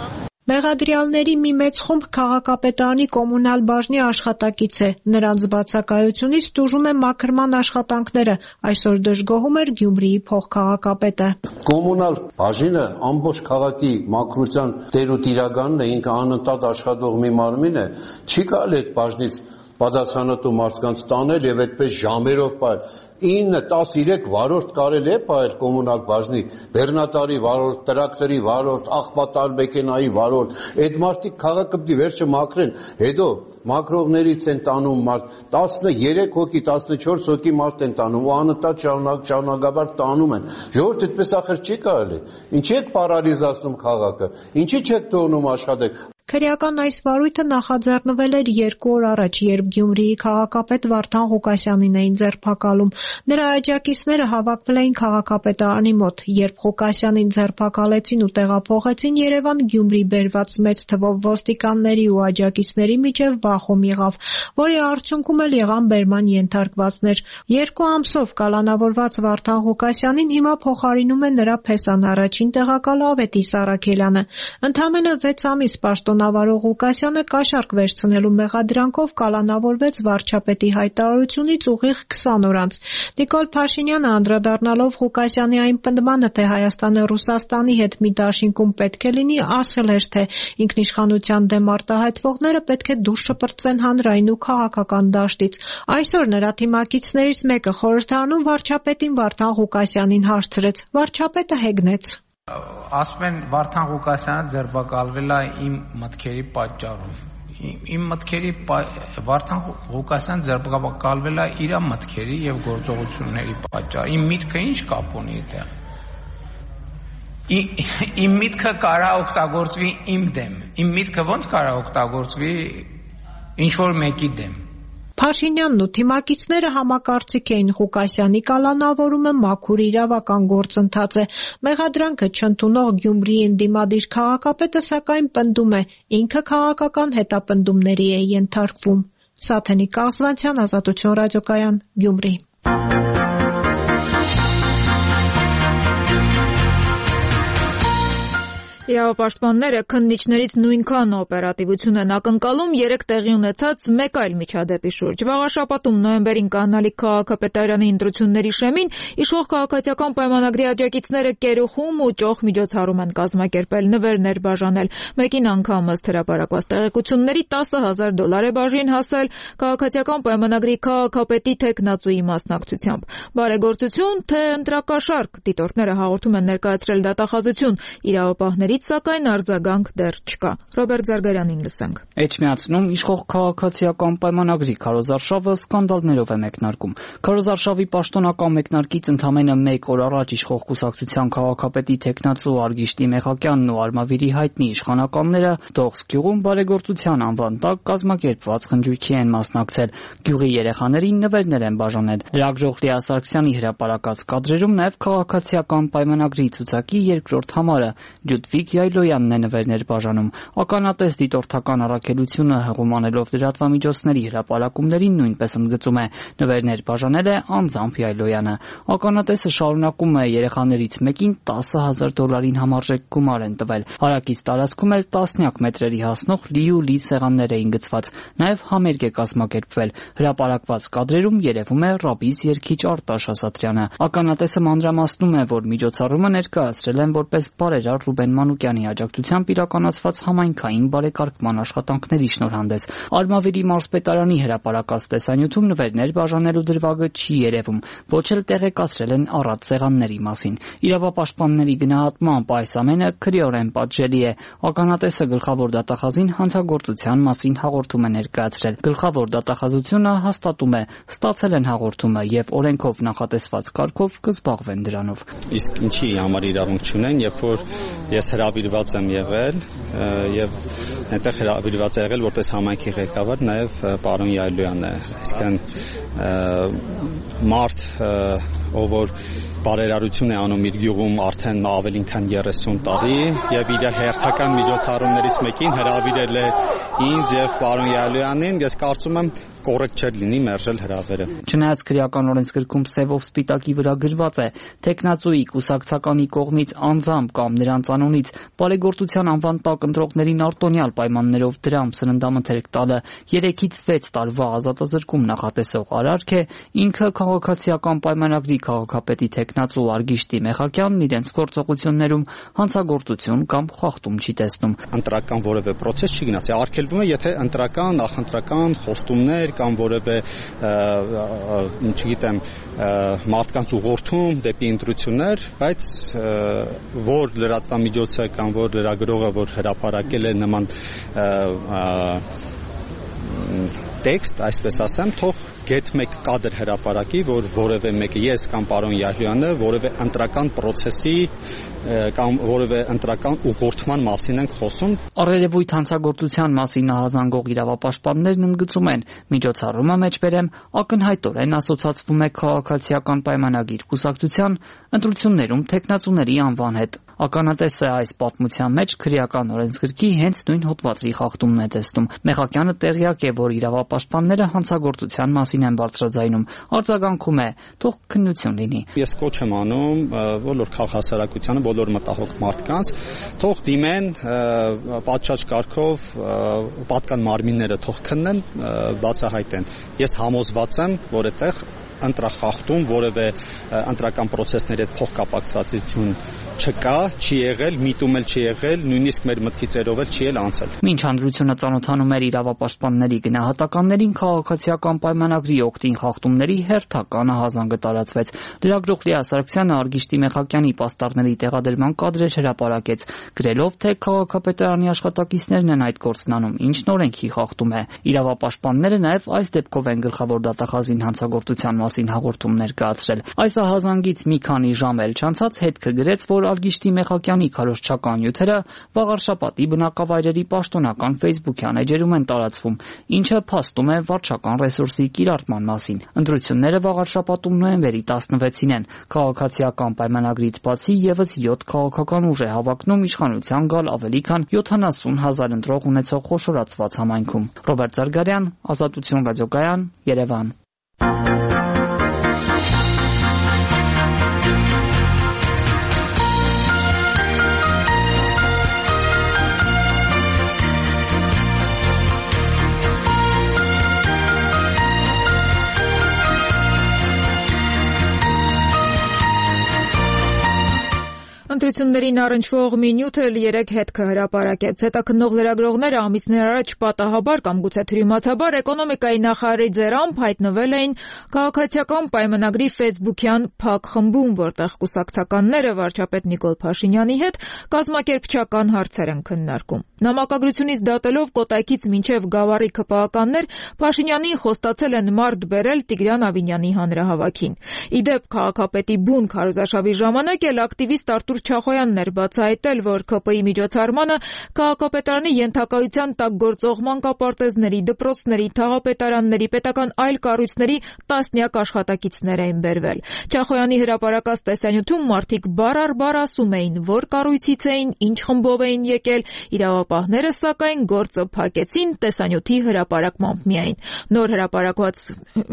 S18: Մեղադրյալների մի մեծ խումբ քաղաքապետարանի կոմունալ բաժնի աշխատակից է, նրանց բացակայությունից տուժում է մաքրման աշխատանքները, այսօր դժգոհում էր Գյումրիի փոխքաղաքապետը։
S19: Կոմունալ բաժինը ամբողջ քաղաքի մաքրության տեր ու տիրականն է, ինքը անընդհատ աշխատող մի մարմին է, չի կարելի այդ բաժնից բացացանոթ մարդկանց տանել եւ այդպես ժամերով պայել։ ինը տասներեք վարորդ կարելի է պայել կոմունալ բաժնի, բեռնատարի վարորդ, տրակտորի վարորդ, աղբատար մեքենայի վարորդ, այդ մարդիկ քաղաքը պիտի վերջը մաքրեն, հետո մաքրողներից են տանում մարդ, տասներեք հոգի, տասնչորս հոգի մարդ են տանում, ու անընդհատ շարունակ շարունակաբար տանում են։ Ժողովուրդ այդպես ախր չի կարելի։ Ինչի եք պարալիզացնում քաղաքը, ինչի չեք թողնում աշխատեք։
S18: Քրեական այս վարույթը նախաձեռնվել էր երկու օր առաջ, երբ Գյումրիի քաղաքապետ Վարդան Ղուկասյանին էին ձերբակալում։ Նրա աջակիցները հավաքվել էին քաղաքապետարանի մոտ, երբ Ղուկասյանին ձերբակալեցին ու տեղափոխեցին Երևան, Գյումրի բերված մեծ թվով ոստիկանների ու աջակիցների միջև բախում եղավ, որի արդյունքում էլ եղան բերման ենթարկվածներ։ Երկու ամսով կալանավորված Վարդան Ղուկասյանին հիմա փոխարինում է նրա փեսան առաջին տեղակալ Ավետիս Առաքելյանը։ Ընդամենը վեց ամիս պաշտոն կալանավարող Ղուկասյանը կաշառք վերցնելու մեղադրանքով կալանավորվեց վարչապետի հայտարարությունից ուղիղ քսան օր անց։ Նիկոլ Փաշինյանը անդրադառնալով Ղուկասյանի այն պնդմանը, թե Հայաստանը Ռուսաստանի հետ մի դաշինքում պետք է լինի, ասել էր, թե ինքնիշխանության դեմ արտահայտվողները պետք է դուրս շպրտվեն հանրային ու քաղաքական դաշտից։ Այսօր նրա թիմակիցներից մեկը խորհրդարանում վարչապետին Վարդան Ղուկասյանին հարցրեց։ Վարչապետը հեգնեց։
S2: Ասում են Վարդան Ղուկասյանը ձերբակալվել է իմ մտքերի պատճառով։ Իմ մտքերի Վարդան Ղուկասյան ձերբակալվել է իր մտքերի եւ գործողությունների պատճառով։ Իմ միտքը ինչ կապ ունի այդտեղ։ Իմ միտքը կարող օգտագործվի իմ դեմ։ Իմ միտքը ո՞նց կարող օգտագործվի ինչ որ մեկի դեմ։
S18: Փաշինյանն ու թիմակիցները համակարծիք էին Ղուկասյանի կալանավորումը մաքուր իրավական գործընթաց է։ Մեղադրանքը չընդունող Գյումրիի ընդդիմադիր քաղաքապետը սակայն պնդում է, ինքը քաղաքական հետապնդումների է ենթարկվում։ Սաթենիկ Կաղզվանցյան, Ազատություն ռադիոկայան, Գյումրի։
S1: Իրավապաշտպանները քննիչներից նույնքան օպերատիվություն են ակնկալում երեք տեղի ունեցած մեկ այլ միջադեպի շուրջ։ Վաղաշաբաթում նոյեմբերին կանալիք քաղաքապետարանի ընտրությունների շեմին իշխող քաղաքացիական պայմանագրի աջակիցները կերուխում ու ճոխ միջոցառում են կազմակերպել, նվերներ բաժանել։ Մեկին անգամ ըստ հրապարակված տեղեկությունների տասը հազար դոլար է բաժին հասել քաղաքացիական պայմանագրի քաղաքապետի թեկնածուի մասնակցությամբ։ Բարեգործություն թե ընտրակաշառք, դիտորդները հաղորդում են ներկայացրել դատախազություն, իրավապահների սակայն արձագանք դեռ չկա։ Ռոբերտ Զարգարյանին լսենք։
S21: Էջմիածնում իշխող քաղաքացիական պայմանագրի քարոզարշավը սկանդալներով է մեկնարկում։ Քարոզարշավի պաշտոնական մեկնարկից ընդամենը մեկ օր առաջ իշխող կուսակցության քաղաքապետի թեկնածու Արգիշտի Մեխակյանն ու Արմավիրի հայտնի իշխանականները Դողս գյուղում բարեգործության անվան տակ կազմակերպված խնջույքի են մասնակցել։ Գյուղի երեխաներին նվերներ են բաժանել։ Լրագրող Լիա Սարգսյանի հրապարակած կադրերում նաև քաղաքացիական պայմանագրի ցուցակի երկրորդ համարը Լյուդվիգ Յայլոյանն է նվերներ բաժանում։ Ականատես դիտորդական առաքելությունը հղումանելով լրատվամիջոցների հրապարակումներին նույնպես ընդգծում է նվերներ բաժանել է անձամբ Յայլոյանը։ Ականատեսը շարունակում է երեխաներից մեկին տասը հազար դոլարին համարժեք գումար են տվել։ Հարակից տարածքում էլ տասնյակ մետրերի հասնող լի ու լի սեղաններ էին գծված։ Նաև համերգ է կազմակերպվել։ Հրապարակված կադրերում երևում է ռաբիս երգիչ Արտաշ Ասատրյանը։ Ականատեսը մանրամասնում է, որ միջոցառումը ներկայացրել են որպես բարերար Ռուբեն Մանուկյանի աջակցությամբ իրականացված համայնքային բարեկարգման աշխատանքների շնորհանդես։ Արմավիրի մարզպետարանի հրապարակած տեսանյութում նվերներ բաժանելու դրվագը չի երևում, ոչ էլ տեղեկացրել են առատ սեղանների մասին։ Իրավապաշտպանների գնահատմամբ այս ամենը քրեորեն պատժելի է։ Ականատեսը գլխավոր դատախազին հանցագործության մասին հաղորդում է ներկայացրել։ Գլխավոր դատախազությունը հաստատում է, ստացել են հաղորդումը եւ օրենքով նախատեսված կարգով կզբաղվեն դրանով։
S4: Իսկ ինչի համար իրավունք չունեն, երբ որ ես հրավիրված եմ եղել եւ այնտեղ հրավիրված է եղել որպես համայնքի ղեկավար նաեւ պարոն Յայլոյանն է, այսինքն մարդ ով որ բարերարություն է անում իր գյուղում արդեն ավելին քան երեսուն տարի եւ իր հերթական միջոցառումներից մեկին հրավիրել է ինձ եւ պարոն Յայլոյանին, ես կարծում եմ կոռեկտ չէր լինի մերժել հրավերը։
S21: Չնայած քրեական օրենսգրքում սևով սպիտակի վրա գրված է, թեկնածուի կուսակցականի կողմից անձամբ կամ նրանց անունից բարեգործության անվան տակ ընտրողներին արտոնյալ պայմաններով դրամ սննդամթերք տալը երեքից վեց տարվա ազատազրկում նախատեսող արարք է, ինքը քաղաքացիական պայմանագրի քաղաքապետի թեկնածու Արգիշտի Մեխակյանն իրենց գործողություններում հանցագործություն կամ խախտում չի տեսնում։
S4: Ընտրական որևէ process չի գնացի, արգելվում է, եթե ընտրական, նախընտրական խոստումներ կամ որևէ, չգիտեմ, մարդկանց ուղղորդում դեպի ընտրություններ, բայց որ լրատվամիջոցը կամ որ լրագրողը որ հրապարակել է նման տեքստ, այսպես ասեմ, թող գետ մեկ կադր հրապարակի, որ որևէ մեկը ես կամ պարոն Յահյանը որևէ ընտրական process-ի կամ որևէ ընտրական ուղղորդման մասին ենք խոսում։
S21: Առերևույթ հանցագործության մասին ահազանգող իրավապաշտպաններն ընդգծում են, միջոցառումը մեջբերեմ ակնհայտորեն ասոցացվում է քաղաքացիական պայմանագիր կուսակցության ընտրություններում թեկնածուների անվան հետ։ Ականատեսը այս պատմության մեջ քրեական օրենսգրքի հենց նույն հոդվածի խախտումն է տեսնում։ Մեխակյանը տեղյակ է, որ իրավապաշտպանները իրավապաշտպանները հանցագործության մասին են բարձրաձայնում։ Արձագանքում է՝ թող քննություն լինի։
S4: Ես կոչ եմ անում բոլոր քաղաքասարակությանը, բոլոր մտահոգ մարդկանց, թող դիմեն պատշաճ կարգով պատկան մարմինները թող քննեն, բացահայտեն։ Ես համոզված եմ, որ այդտեղ ընտրախախտում որևէ ընտրական process-ների հետ փոխկապակցվածություն չկա, չի եղել, միտում էլ չի եղել, նույնիսկ մեր մտքի ծերով էլ չի էլ անցել։
S21: Մինչ հանրությունը ծանոթանում էր իրավապաշտպանների գնահատականներին, քաղաքացիական պայմանագրի օգտին խախտումների հերթական ահազանգը տարածվեց։ Լրագրող Լիա Սարգսյանը Արգիշտի Մեխակյանի պաստառների տեղադրման կադրեր հրապարակեց, գրելով, թե քաղաքապետարանի աշխատակիցներն են այդ գործն անում, ինչն օրենքի խախտում է։ Իրավապաշտպանները նաև այս դեպքով են գլխավոր դատախազին հանցագործության մասին հաղորդում ներկայացրել։ Այս ահազանգից մի քանի ժամ էլ չանցած հետքը գրեց, որ Արգիշտի Մեխակյանի քարոզչական նյութերը Վաղարշապատի բնակավայրերի պաշտոնական Facebook-յան էջերում են տարածվում, ինչը փաստում է վարչական ռեսուրսի կիրառման մասին։ Ընտրությունները Վաղարշապատում նոյեմբերի տասնվեցին են։ Քաղաքացիական պայմանագրից բացի եւս յոթ քաղաքական ուժ է հավակնում իշխանության գալ ավելի քան յոթանասուն հազար ընտրող ունեցող խոշորացված համայնքում։ Ռոբերտ Զարգարյան, Ազատություն ռադիոկայան, Երևան։
S1: Ընտրություններին առնչվող մի նյութ էլ երեք հետքը հրապարակեց։ Հետաքննող լրագրողները ամիսներ առաջ պատահաբար կամ գուցե թյուրիմացաբար էկոնոմիկայի նախարարի ձեռամբ հայտնվել էին քաղաքացիական պայմանագրի Facebook-յան փակ խմբում, որտեղ կուսակցականները վարչապետ Նիկոլ Փաշինյանի հետ կազմակերպչական հարցեր են քննարկում։ Նամակագրությունից դատելով Կոտայքից մինչև Գավառի ՔՊԱ-կաններ Փաշինյանին խոստացել են մարդ բերել Տիգրան Ավինյանի հանրահավաքին։ Ի դեպ, քաղաքապետի բուն քարոզարշավի ժամանակ էլ ակտիվիստ Արտուր Չախոյանն էր բացահայտել, որ ՔՊ-ի միջոցառմանը քաղաքապետարանի ենթակայության տակ գործող մանկապարտեզների, դպրոցների, թաղապետարանների, պետական այլ կառույցների տասնյակ աշխատակիցներ էին բերվել։ Չախոյանի հրապարակած տեսանյութում մարդիկ բառ առ բառ ասում էին, որ կառույցից էին, ինչ խմբով էին եկել, իրավապահները սակայն գործը փակեցին տեսանյութի հրապարակմամբ միայն։ Նոր հրապարակված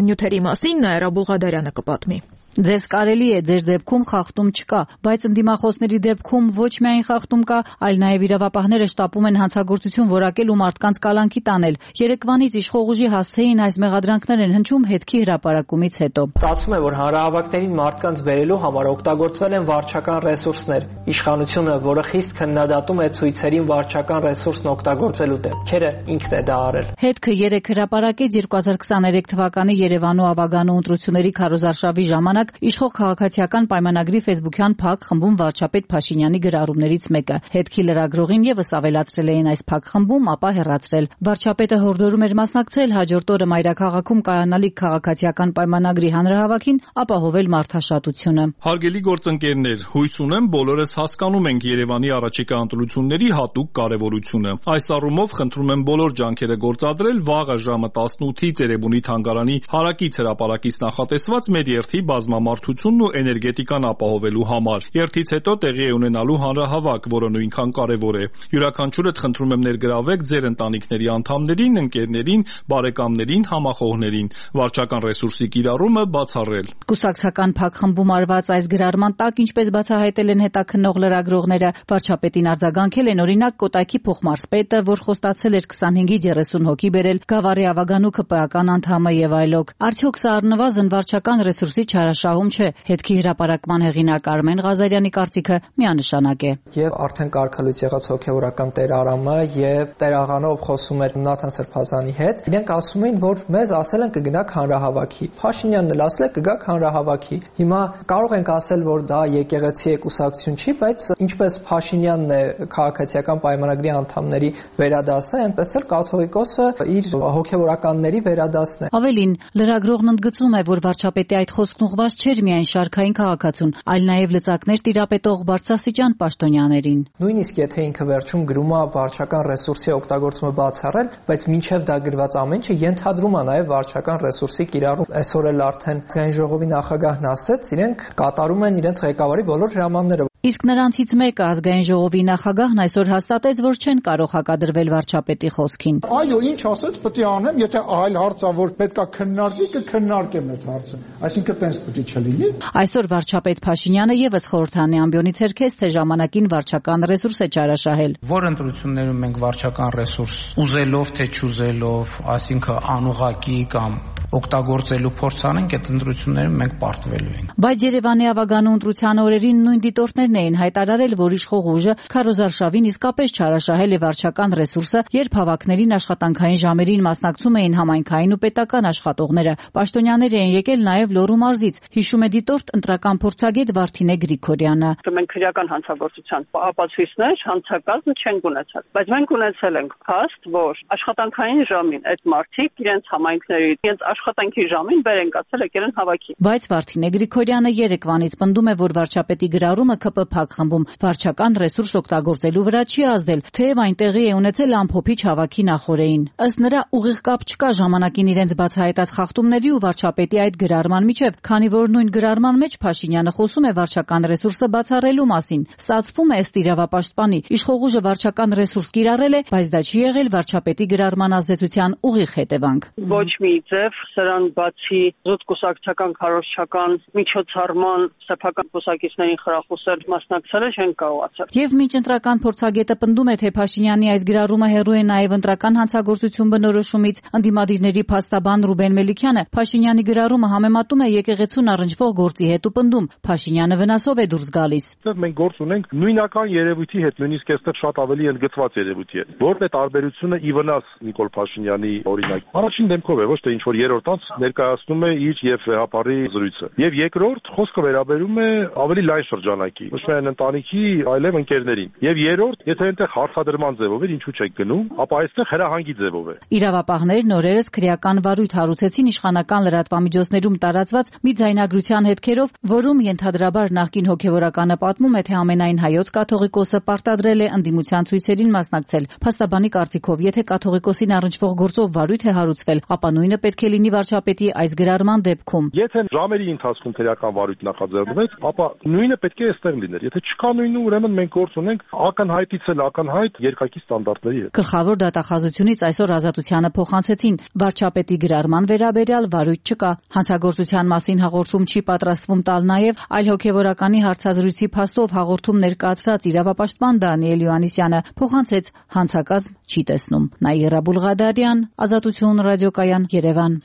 S1: նյութերի մասին Նաիրա Բուղադարյանը կպատմի։
S9: Ձեզ կարելի է ձեր դեպքում խախտում չկա, բայց ընդդիմախոսների դեպքում ոչ միայն խախտում կա, այլ նաև իրավապահները շտապում են հանցագործություն որակել ու մարդկանց կալանքի տանել։ Երեկվանից իշխող ուժի հասցեին այս մեղադրանքներ են հնչում հետքի հրապարակումից հետո։
S5: Ստացվում է, որ հանրահավաքներին մարդկանց բերելու համար օգտագործվել են վարչական ռեսուրսներ։ Իշխանությունը, որը խիստ քննադատում է ցույցերին վարչական ռեսուրսն օգտագործելու դեպքերը, ինքն է դա արել։
S9: Հետքը երեք հրապարակեց երկու հազար քսաներեք թվականի Երևանու Ավագանու ընտրությունների քարոզարշավի ժամանակ իշխող քաղաքացիական պայմանագրի Facebook-յան փակ խմբում վարչապետ Փաշինյանի գրառումներից մեկը։ Հետքի լրագրողին եւս ավելացրել էին այս փակ խմբում, ապա հեռացրել։ Վարչապետը հորդորում էր մասնակցել հաջորդ օրը մայրաքաղաքում կայանալիք քաղաքացիական պայմանագրի հանրահավաքին, ապահովել մարդաշատությունը։
S8: Հարգելի գործընկերներ, հույս ունեմ բոլորս հասկանում ենք Երևանի առաջիկա ընտրությունների հատուկ կարևորությունը։ Այս առումով խնդրում եմ բոլոր ջանքերը գործադրել վաղը ժամը տասնութից Երևանի թանգարանի հարակից հրապարակից նախատեսված մեր երթի բազմամարդությունն ու էներգետիկան ապահովելու համար։ Երթից հետո տեղի է ունենալու հանրահավաք, որը նույնքան կարևոր է։ Յուրաքանչյուրդ խնդրում եմ ներգրավեք ձեր ընտանիքների անդամներին, ընկերներին, բարեկամներին, համախոհներին։ Վարչական ռեսուրսի կիրառումը բացառել։
S9: Կուսակցական փակ խմբում արված այս գրառման տակ, ինչպես բացահայտել են հետաքննող լրագրողները, վարչապետին արձագանքել են օրինակ Կոտայքի փոխմարզպետը, որ խոստացել էր քսանհինգից երեսուն հոգի բերել, Գավառի Ավագանու ՔՊԱ-ական անդամը եւ այլոք։ Արդյոք սա առնվազն վարչական ռեսուրսի չարաշահում չէ։ Հետքի հրապարակման հեղինակ Արմեն Ղազարյանի կարծիքը միանշանակ է։
S5: Եվ արդեն կարգալույց եղած հոգեվորական Տեր Արամը եւ Տեր Աղանով խոսում էր Նաթան Սրբազանի հետ, իրենք ասում էին, որ մեզ ասել են կգնաք հանրահավաքի։ Փաշինյանն էլ ասել է կգաք հանրահավաքի։ Հիմա կարող ենք ասել, որ դա եկեղեցի է, կուսակցություն չի, բայց ինչպես Փաշինյանն է քաղաքացիական պայմանագրի անդամների վերադասը, այնպես էլ կաթողիկոսը իր հոգեվորականների վերադասն է։
S9: Ավելին, լրագրողն ընդգծում է, որ վարչապետի այդ խոսքն ուղղված չէր միայն շարքային քաղաքացուն, այլ նաև լծակներ տիրապետող բարձրաստիճան պաշտոնյաներին։
S5: Նույնիսկ եթե ինքը վերջում գրում է վարչական ռեսուրսի օգտագործումը բացառել, բայց մինչև դա գրված ամեն ինչը ենթադրում է նաև վարչական ռեսուրսի կիրառում։ Այսօր էլ արդեն Ազգային ժողովի նախագահն ասեց, իրենք կատարում են իրենց ղեկավարի բոլոր հրամանները։
S9: Իսկ նրանցից մեկը ազգային ժողովի նախագահն այսօր հաստատեց, որ չեն կարող հակադրվել վարչապետի խոսքին։
S10: Այո, ինչ ասեց, պետք է անեմ, եթե այլ հարց ա, որ պետքա քննարկվի, կքննարկեմ այդ հարցը։ Այսինքն տենց պետք է չլինի։
S9: Այսօր վարչապետ Փաշինյանը եւս խորհրդանի ամբիոնից հերքեց, թե ժամանակին վարչական ռեսուրս է չարաշահել։
S2: Որ ընտրություններում մենք վարչական ռեսուրս ուզելով թե չուզելով, այսինքն անուղղակի կամ օգտագործելու փորձ անենք, այդ ընտրություններում մենք պարտվելու ենք։
S9: Բայց Երևանի ավագանու ընտրության օրերին նույն դիտորդներն էին հայտարարել, որ իշխող ուժը Քարոզարշավին իսկապես չարաշահել է վարչական ռեսուրսը, երբ հավաքներին աշխատանքային ժամերին մասնակցում էին համայնքային ու պետական աշխատողները։ Պաշտոնյաներ էին եկել նաև Լոռու մարզից, հիշում է դիտորդ ընտրական փորձագետ Վարդինե Գրիգորյանը։
S7: Մենք քրեական հանցագործության ապացույցներ հանցակազմ չենք ունեցել, բայց մենք ունեցել ենք փաստ, որ աշխատանքային ժամին այդ մարդիկ իրենց համայնքների իրենց աշխատանքի ժամին բեր են կացել եկել են հավաքի։
S9: Բայց Վարդինե Գրիգորյանը Երևանից պնդում է, որ վարչապետի գրառումը ԿՊ փակ խմբում վարչական ռեսուրս օգտագործելու վրա չի ազդել, թեև այն տեղի է ունեցել ամփոփիչ հավաքի նախօրեին։ Ըստ նրա, ուղիղ կապ չկա ժամանակին իրենց բացահայտած խախտումների ու վարչապետի այդ գրառման միջև, քանի որ նույն գրառման մեջ Փաշինյանը խոսում է վարչական ռեսուրսը բացառելու մասին։ Ստացվում է ըստ իրավապաշտպանի, իշխող ուժը վարչական ռեսուրս կիրառել է, բայց դա չի եղել վարչապետի գրառման ազդեցության ուղիղ հետևանք։
S7: Ոչ մի ձև սրան բացի զուտ կուսակցական քարոզչական միջոցառման սեփական կուսակիցներին խրախուսել մասնակցել չեն կարողացել։
S9: Եվ մինչ ընտրական փորձագետը պնդում է, թե Փաշինյանի այս գրառումը հեռու է նաև ընտրական հանցագործություն բնորոշումից, ընդդիմադիրների փաստաբան Ռուբեն Մելիքյանը Փաշինյանի գրառումը համեմատում է եկեղեցուն առնչվող գործի հետ ու պնդում Փաշինյանը վնասով է դուրս գալիս։
S22: Մենք գործ ունենք նույնական երևույթի հետ, նույնիսկ այստեղ շատ ավելի ընդգծված երևույթի հետ։ Որն է տարբերությունը ի վնաս Նիկոլ Փաշինյանի օրինակ։ Առաջին դեպքով է, ոչ թե ինչ որ երրորդ անց ներկայացնում է իր եւ վեհապարի զրույցը։ Եվ երկրորդ խոսքը վերաբերում է ավելի լայն շրջանակի, ոչ միայն ընտանիքի, այլև ընկերներին։ Եվ երրորդ, եթե այնտեղ հարցադրման ձևով է, ինչու՞ չեք գնում, ապա այստեղ հրահանգի ձևով է։
S9: Իրավապահներն օրերս քրեական վարույթ հարուցեցին իշխանական լրատվամիջոցներում տարածված մի ձայնագրության հետքերով, որում ենթադրաբար նախկին հոգևորականը պատմում է, թե ամենայն հայոց կաթողիկոսը պարտադրել է ընդդիմության ցույցերին մասնակցել։ Փաստաբանի կարծիքով, եթե կաթողիկոսին առնչվող գործով վարույթ է հարուցվել, ապա նույնը պետք է լինի վարչապետի այս գրառման դեպքում։
S22: Եթե ժամերի ընթացքում քրեական վարույթ նախաձեռնվեց, ապա նույնը պետք է այստեղ լիներ։ Եթե չկա նույնը, ուրեմն մենք գործ ունենք ակնհայտից էլ ակնհայտ երկակի ստանդարտների հետ։
S9: Գլխավոր դատախազությունից այսօր Ազատությանը փոխանցեցին վարչապետի գրառման վերաբերյալ վարույթ չկա։ Հանցագործության մասին հաղորդում չի պատրաստվում տալ նաև այլ հոգևորականի հարցազրույցի փաստով հաղորդում ներկայացրած իրավապաշտպան Դանիել Յոհաննիսյանը փոխանցեց հանցակազմ չի տեսնում։ Նաիրա Բուլղադարյան, Ազատություն ռադիոկայան, Երևան։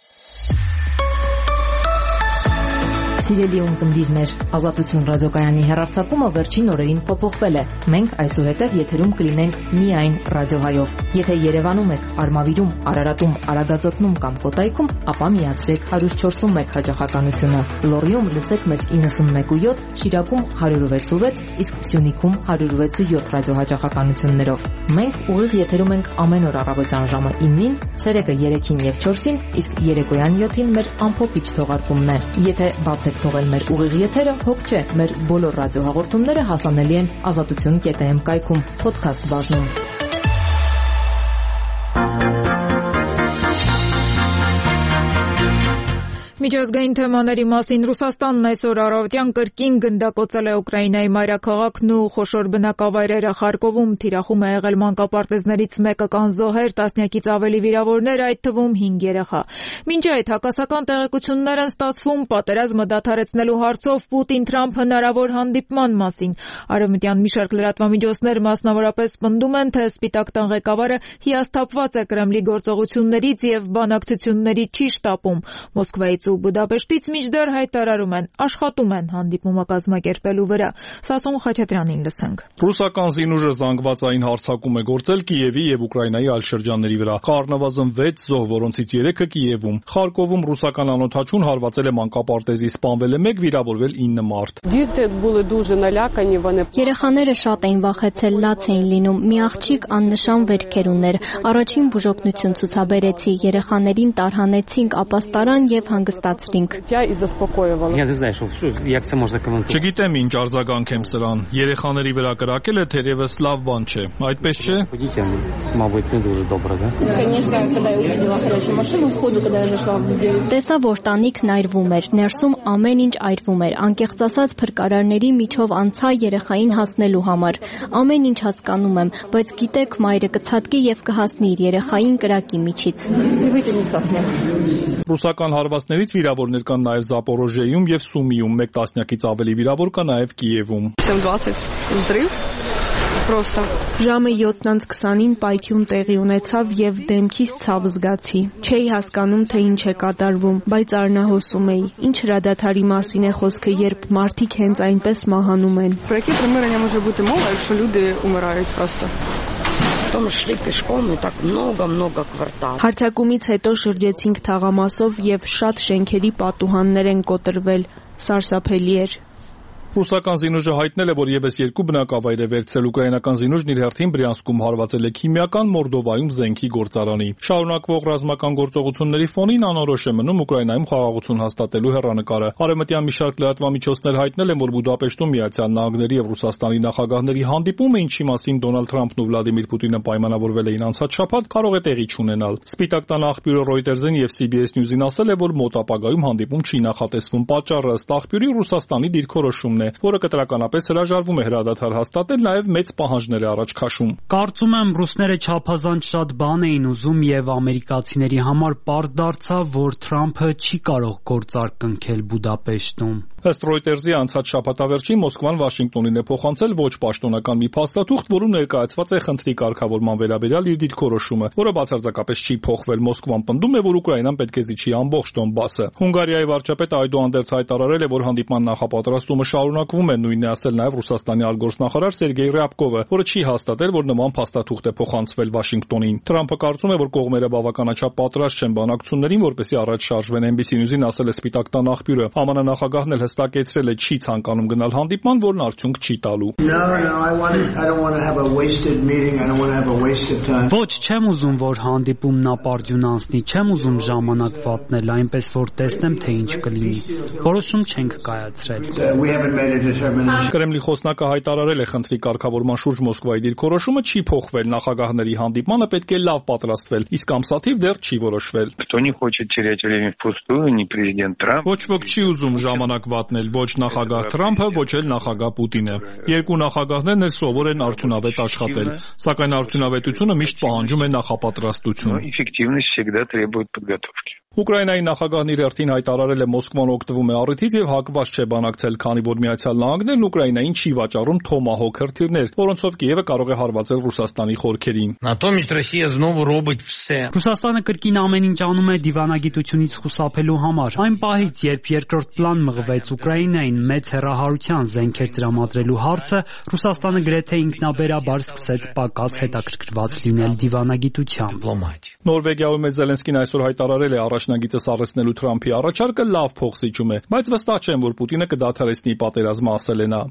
S23: Սիրելի ունկնդիրներ, Ազատություն ռադիոկայանի հեռարձակումը վերջին օրերին փոփոխվել է։ Մենք այսուհետև եթերում կլինենք միայն ռադիոհայով։ Եթե Երևանում եք, Արմավիրում, Արարատում, Արագածոտնում կամ Կոտայքում, ապա միացրեք հարյուր չորսունմեկ հաճախականությունը։ Լոռիում լսեք մեզ իննսունմեկ ու յոթ, Շիրակում հարյուր վեց ու վեց, իսկ Սյունիքում հարյուր վեց ու յոթ ռադիոհաճախականություններով։ Մենք ուղիղ եթերում ենք ամեն օր առավոտյան ժամը իննին, ցերեկը երեքին եւ չորսին, իսկ երեկոյան յոթին մեր ամփոփիչ թողարկումն է։ Եթե բացեք թողել մեր ուղիղ եթերը, հոգ չէ, մեր բոլոր ռադիոհաղորդումները հասանելի են ազատություն կետ էմ կայքում, փոդքասթ բաժնում։
S1: Միջազգային թեմաների մասին Ռուսաստանն այսօր առավոտյան կրկին գնդակոծել է Ուկրաինայի մայրաքաղաքն ու խոշոր բնակավայրերը Խարկովում, թիրախում է եղել մանկապարտեզներից մեկը կան զոհեր, տասնյակից ավելի վիրավորներ, այդ թվում հինգ երեխա։ Մինչ այդ հակասական տեղեկություններ են ստացվում պատերազմը դադարեցնելու հարցով Պուտին-Թրամփ հնարավոր հանդիպման մասին։ Արևմտյան մի շարք լրատվամիջոցներ մասնավորապես պնդում են, թե Սպիտակ տան ղեկավարը հիասթափված է Կրեմլի գործողություններից եւ բանակցությունների չի շտապում։ Մոսկվայից ու Բուդապեշտից մինչդեռ հայտարարում են, աշխատում են հանդիպումը կազմակերպելու վրա։ Սասուն Խաչատրյանին լսենք։
S8: Ռուսական զինուժը զանգվածային հարձակում է գործել Կիևի եւ Ուկրաինայի այլ շրջանների վրա։ Առնվազն վեց զոհ, որոնցից երեքը Կիևում։ Խարկովում ռուսական անօդաչուն հարվածել է մանկապարտեզի, սպանվել է մեկ, վիրավորվել ինը մարդ։
S24: Երեխաները շատ էին վախեցել, լաց էին լինում։ Մի աղջիկ աննշան վերքեր ուներ։ Առաջին բուժօգնություն ցուցաբերեցի, երեխաներին տարհանեցինք ապաստարան եւ հանգստացրինք հանգստացրինք։
S8: Չգիտեմ ինչ արձագանքեմ սրան։ Երեխաների վրա կրակելը թերևս լավ բան չէ։ Այդպես չէ։
S24: Տեսա, որ տանիքն այրվում էր, ներսում ամեն ինչ այրվում էր, անկեղծ ասած փրկարարների միջով անցա երեխային հասնելու համար։ Ամեն ինչ հասկանում եմ, բայց գիտեք, մայրը կցատկի եւ կհասնի իր երեխային կրակի միջից։
S8: Ռուսական հարվածներից վիրավորներ կան նաև Զապորոժիեում եւ Սումիում, մեկ տասնյակից ավելի վիրավոր կա նաև Կիևում։
S6: Ժամը յոթ քսանին պայթյուն տեղի ունեցավ եւ դեմքիս ցավ զգացի։ Չէի հասկանում, թե ինչ է կատարվում, բայց արնահոսում էի։ Ինչ հրադադարի մասին է խոսքը, երբ մարդիկ հենց այնպես մահանում են։ Հարձակումից հետո շրջեցինք թաղամասով եւ շատ շենքերի պատուհաններ են կոտրվել։ Սարսափելի էր։
S8: Ռուսական զինուժը հայտնել է, որ եւս երկու բնակավայր է վերցրել ուկրաինական զինուժն իր հերթին Բրյանսկում հարվածել է քիմիական, Մորդովայում զենքի գործարանի։ Շարունակվող ռազմական գործողությունների ֆոնին անորոշ է մնում Ուկրաինայում խաղաղություն հաստատելու հեռանկարը։ Արևմտյան մի շարք լրատվամիջոցներ հայտնել են, որ Բուդապեշտում Միացյալ Նահանգների եւ Ռուսաստանի նախագահների հանդիպումը, ինչի մասին Դոնալդ Թրամփն ու Վլադիմիր Պուտինը պայմանավորվել էին անցած շաբաթ, կարող է տեղի չունենալ։ Սպիտակ տան աղբյուրը Reuters-ին եւ C B S News-ին ասել է, որ մոտ ապագայում հանդիպում չի նախատեսվում։ Պատճառը ըստ աղբյուրի Ռուսաստանի դիրքորոշումն է, որը կտրականապես հրաժարվում է հրադադար հաստատել, նաև մեծ պահանջներ է առաջ քաշում։
S21: Կարծում եմ, ռուսները չափազանց շատ բան էին ուզում եւ ամերիկացիների համար պարզ դարձավ, որ Թրամփը չի կարող գործարք կնքել Բուդապեշտում։
S8: Ըստ Reuters-ի անցած շաբաթավերջին Մոսկվան Վաշինգտոնին է փոխանցել ոչ պաշտոնական մի փաստաթուղթ, որում ներկայացված է խնդրի կարգավորման վերաբերյալ իր դիրքորոշումը, որը բացարձակապես չի փոխվել։ Մոսկվան պնդում է, որ Ուկրաինան պետք է զիջի ամբողջ Դոնբասը։ Հունգարիայի վարչապետը այդուհանդերձ հայտարարել է, որ հանդիպման նախապատրաստումը շարունակվում է, նույնն է ասել նաև Ռուսաստանի արտգործնախարար Սերգեյ Ռյաբկովը, որը չի հաստատել, որ նման փաստաթուղթ է փոխանցվել Վաշինգտոնին։ Թրամփը կարծում է, որ կողմերը բավականաչափ պատրաստ չեն բանակցություններին, որպեսզի առաջ շարժվեն։ N B C News-ին ասել է Սպիտակ տան աղբյուրը։ H M N նախագահն էլ հստակեցրել է չի ցանկանում գնալ հանդիպման, որն արդյունք չի տալու։
S21: Ոչ, չեմ ուզում, որ հանդիպումն ապարդյուն անցնի, չեմ ուզում ժամանակ վատնել, այնպես որ տեսնեմ, թե ինչ կլինի։ Որոշում չենք կայացրել։
S8: Կրեմլի խոսնակը հայտարարել է խնդրի կարգավորման շուրջ Մոսկվայի դիրքորոշումը չի փոխվել, նախագահների հանդիպմանը պետք է լավ պատրաստվել, իսկ ամսաթիվ դեռ չի որոշվել։ Ոչ ոք չի ուզում ժամանակ վատնել, ոչ նախագահ Թրամփը, ոչ էլ նախագահ Պուտինը։ Երկու նախագահներն էլ սովոր են արդյունավետ աշխատել, սակայն արդյունավետությունը միշտ պահանջում է նախապատրաստություն։ Ուկրաինայի նախագահն իր հերթին հայտարարել է Մոսկվան օգտվում է առիթից եւ հակված չէ բանակցել, քանի որ Միացյալ Նահանգներն Ուկրաինային չի վաճառում Թոմահոք հրթիռներ, որոնցով Կիևը կարող է հարվածել Ռուսաստանի խորքերին։
S21: Ռուսաստանը կրկին ամեն ինչ անում է դիվանագիտությունից խուսափելու համար։ Այն պահից, երբ երկրորդ պլան մղվեց Ուկրաինային մեծ հեռահարության զենքեր տրամադրելու հարցը, Ռուսաստանը գրեթե ինքնաբերաբար սկսեց պակաս հետաքրքրված լինել դիվանագիտությամբ։
S8: Նորվեգիայում Զելենսկին այսօր հայտարարել է առաջնագիծը սառեցնելու Թրամփի առաջարկը լավ փոխզիջում է, բայց վստահ չեմ, որ Պուտինը կդադարեցնի պատերազմը, ասել է նա։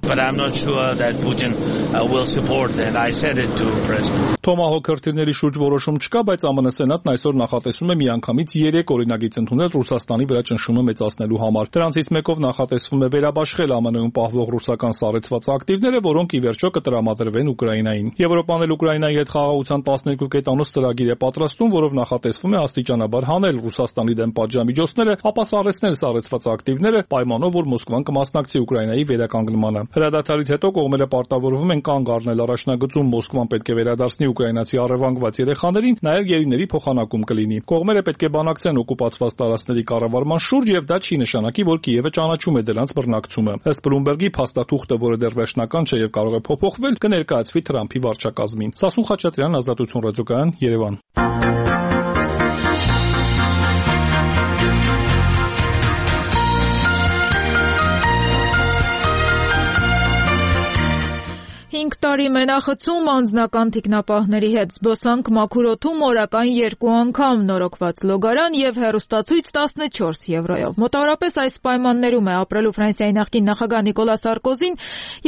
S8: Թոմահոք հրթիռների շուրջ որոշում չկա, բայց Ամն Սենատն այսօր նախատեսում է միանգամից երեք օրինագիծ ընդունել Ռուսաստանի վրա ճնշումը մեծացնելու համար։ Դրանցից մեկով նախատեսվում է վերաբաշխել Ամն Ն-ում պահվող ռուսական սառեցված ակտիվները, որոնք ի վերջո կտրամադրվեն Ուկրաինային։ Եվրոպան էլ Ուկրաինայի հետ խաղաղության տասներկու կետանոց ծրագիր է պատրաստում, որով նախատեսվում է աստիճանաբար հանել Ռուսաստանի դեմ պատժամիջոցները, ապա սառեցնել սառեցված ակտիվները, պայմանով որ Մոսկվան կմասնակցի Ուկրաինայի վերականգնմանը։ Հրադադարից հետո կողմերը պարտավորվում են կանգ առնել առաջնագծում, Մոսկվան պետք է վերադարձնի ուկրաինացի առևանգված երեխաներին, նաև գերիների փոխանակում կլինի։ Կողմերը պետք է բանակցեն օկուպացված տարածքների կառավարման շուրջ եւ դա չի նշանակի, որ Կիևը ճանաչում է դրանց բռնակցումը։ Ըստ Բլումբերգի փաստաթուղթը, որը դեռ վերջնական չէ եւ կարող է փոփոխվել, կներկայացվի Թրամփի վարչակազմին։ Սասուն Խաչատրյան, Ազատություն ռադիոկայան, Երևան։
S1: հինգ տարի մենախցում անձնական թիկնապահների հետ, զբոսանք մաքուր օդում օրական երկու անգամ, նորոգված լոգարան եւ հեռուստացույց տասնչորս եվրոյով։ Մոտավորապես այս պայմաններում է ապրելու Ֆրանսիայի նախկին նախագահ Նիկոլա Սարկոզին,